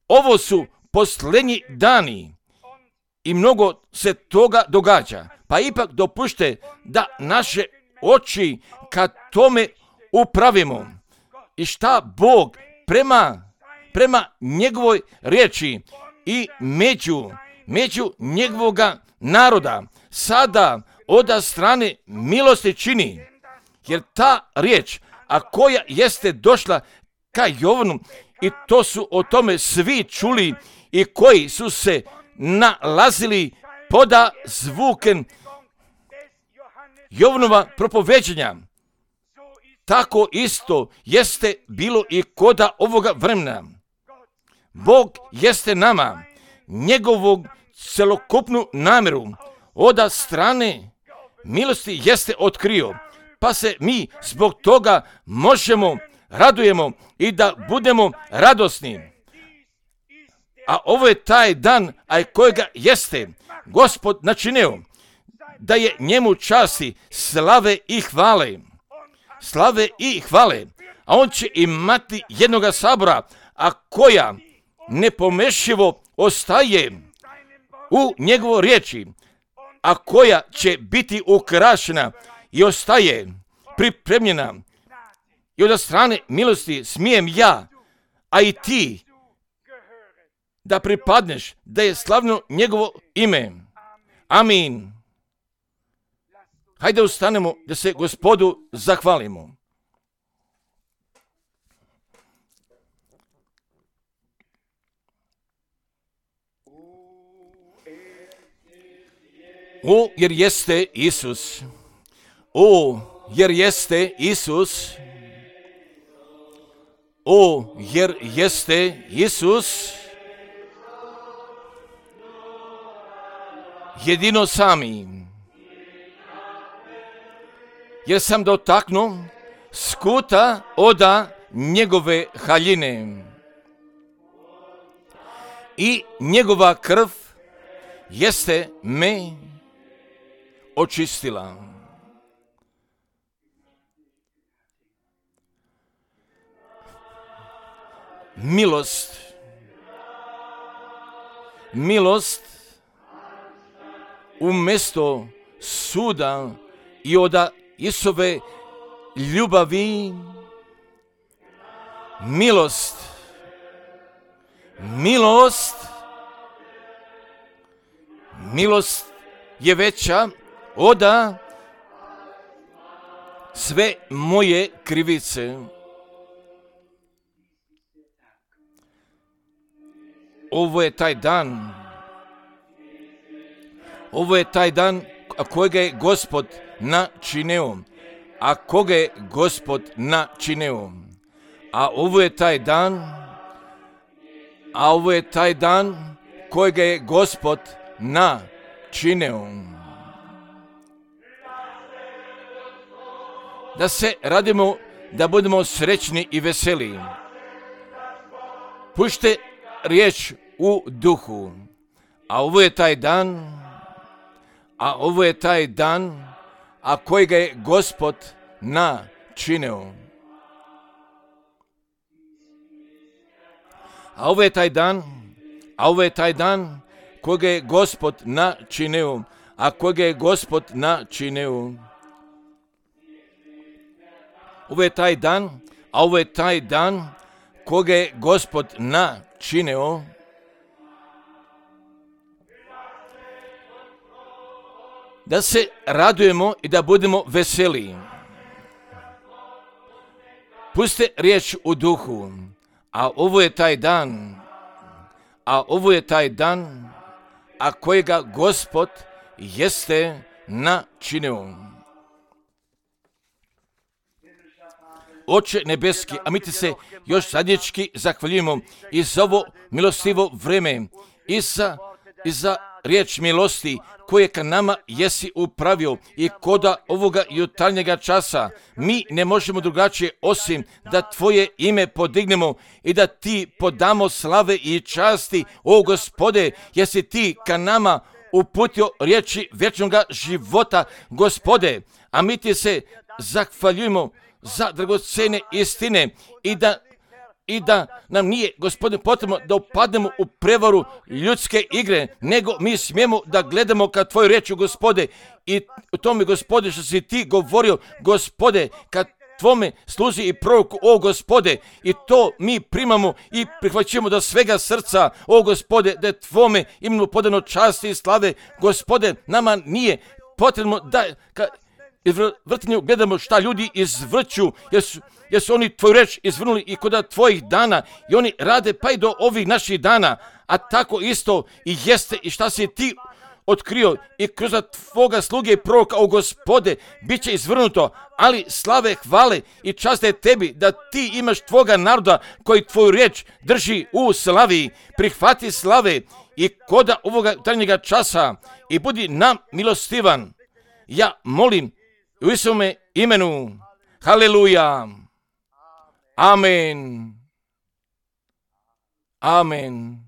Ovo su posljednji dani i mnogo se toga događa, pa ipak dopušte da naše oči ka tome upravimo i šta Bog prema njegovoj riječi i među njegovoga naroda sada od strane milosti čini, jer ta riječ, a koja jeste došla ka Jovanu, i to su o tome svi čuli i koji su se nalazili poda zvuken Jovanova propoveđenja. Tako isto jeste bilo i koda ovoga vremena. Bog jeste nama njegovog celokupnu namjeru od strane milosti jeste otkrio, pa se mi zbog toga možemo radujemo i da budemo radosni. A ovo je taj dan, a kojega jeste Gospod načinio, da je njemu časti, slave i hvale. Slave i hvale. A on će imati jednoga sabora, a koja nepomešivo ostaje u njegovo riječi, a koja će biti ukrašena i ostaje pripremljena. I od strane milosti smijem ja, a i ti, da pripadneš, da je slavno njegovo ime. Amin. Hajde ustanemo da se Gospodu zahvalimo. O, jer jeste Isus. O, jer jeste Isus. O, jer jeste Isus. Jedino sami. Jer sam dotaknuo skuta oda njegove haljine. I njegova krv jeste me očistila. Milost. Milost umjesto suda i od Isove ljubavi. Milost. Milost. Milost je veća od sve moje krivice. Ovo je taj dan. Ovo je taj dan kojega je Gospod načinio. A koga je Gospod načinio. A ovo je taj dan. A ovo je taj dan kojega je Gospod načinio. Da se radimo, da budemo srećni i veseli. Pušte riječ u duhu. A ovo je taj dan. A ovo je taj dan, a kojega je Gospod načinio. A ovo je taj dan, a ovo je taj dan kojega je Gospod načinio, a kojega je Gospod načinio. Ovo je taj dan, a ovo je taj dan kojega je Gospod načinio. Da se radujemo i da budemo veseli. Puste riječ u duhu. A ovo je taj dan. A ovo je taj dan, a kojega Gospod jeste načinio. Oče nebeski, a mi ti se još zadnječki zahvaljujemo i za ovo milostivo vreme i za riječ milosti koje ka nama jesi upravio i koda ovoga jutarnjega časa mi ne možemo drugačije osim da tvoje ime podignemo i da ti podamo slave i časti, o Gospode, jesi ti ka nama uputio riječi vječnoga života, Gospode, a mi ti se zahvaljujemo za dragocene istine i da nam nije, Gospodine, potrebno da upadnemo u prevaru ljudske igre, nego mi smijemo da gledamo ka tvoju riječ, Gospode, i u tome, Gospode, što si ti govorio, Gospode, kad tvome služi i proroku, o Gospode, i to mi primamo i prihvaćamo do svega srca, o Gospode, da je tvome imenu podano časti i slave, Gospode, nama nije potrebno da vrtinju gledamo šta ljudi izvrću, jer su oni tvoju reč izvrnuli i kod tvojih dana i oni rade pa i do ovih naših dana, a tako isto i jeste i šta si ti otkrio i kroz tvoga sluge i proroka, o Gospode, bit će izvrnuto, ali slave, hvale i časte tebi da ti imaš tvoga naroda koji tvoju riječ drži u slavi. Prihvati slave i koda ovoga jutarnjega časa i budi nam milostivan. Ja molim u Isuvome imenu. Haleluja. Amen. Amen.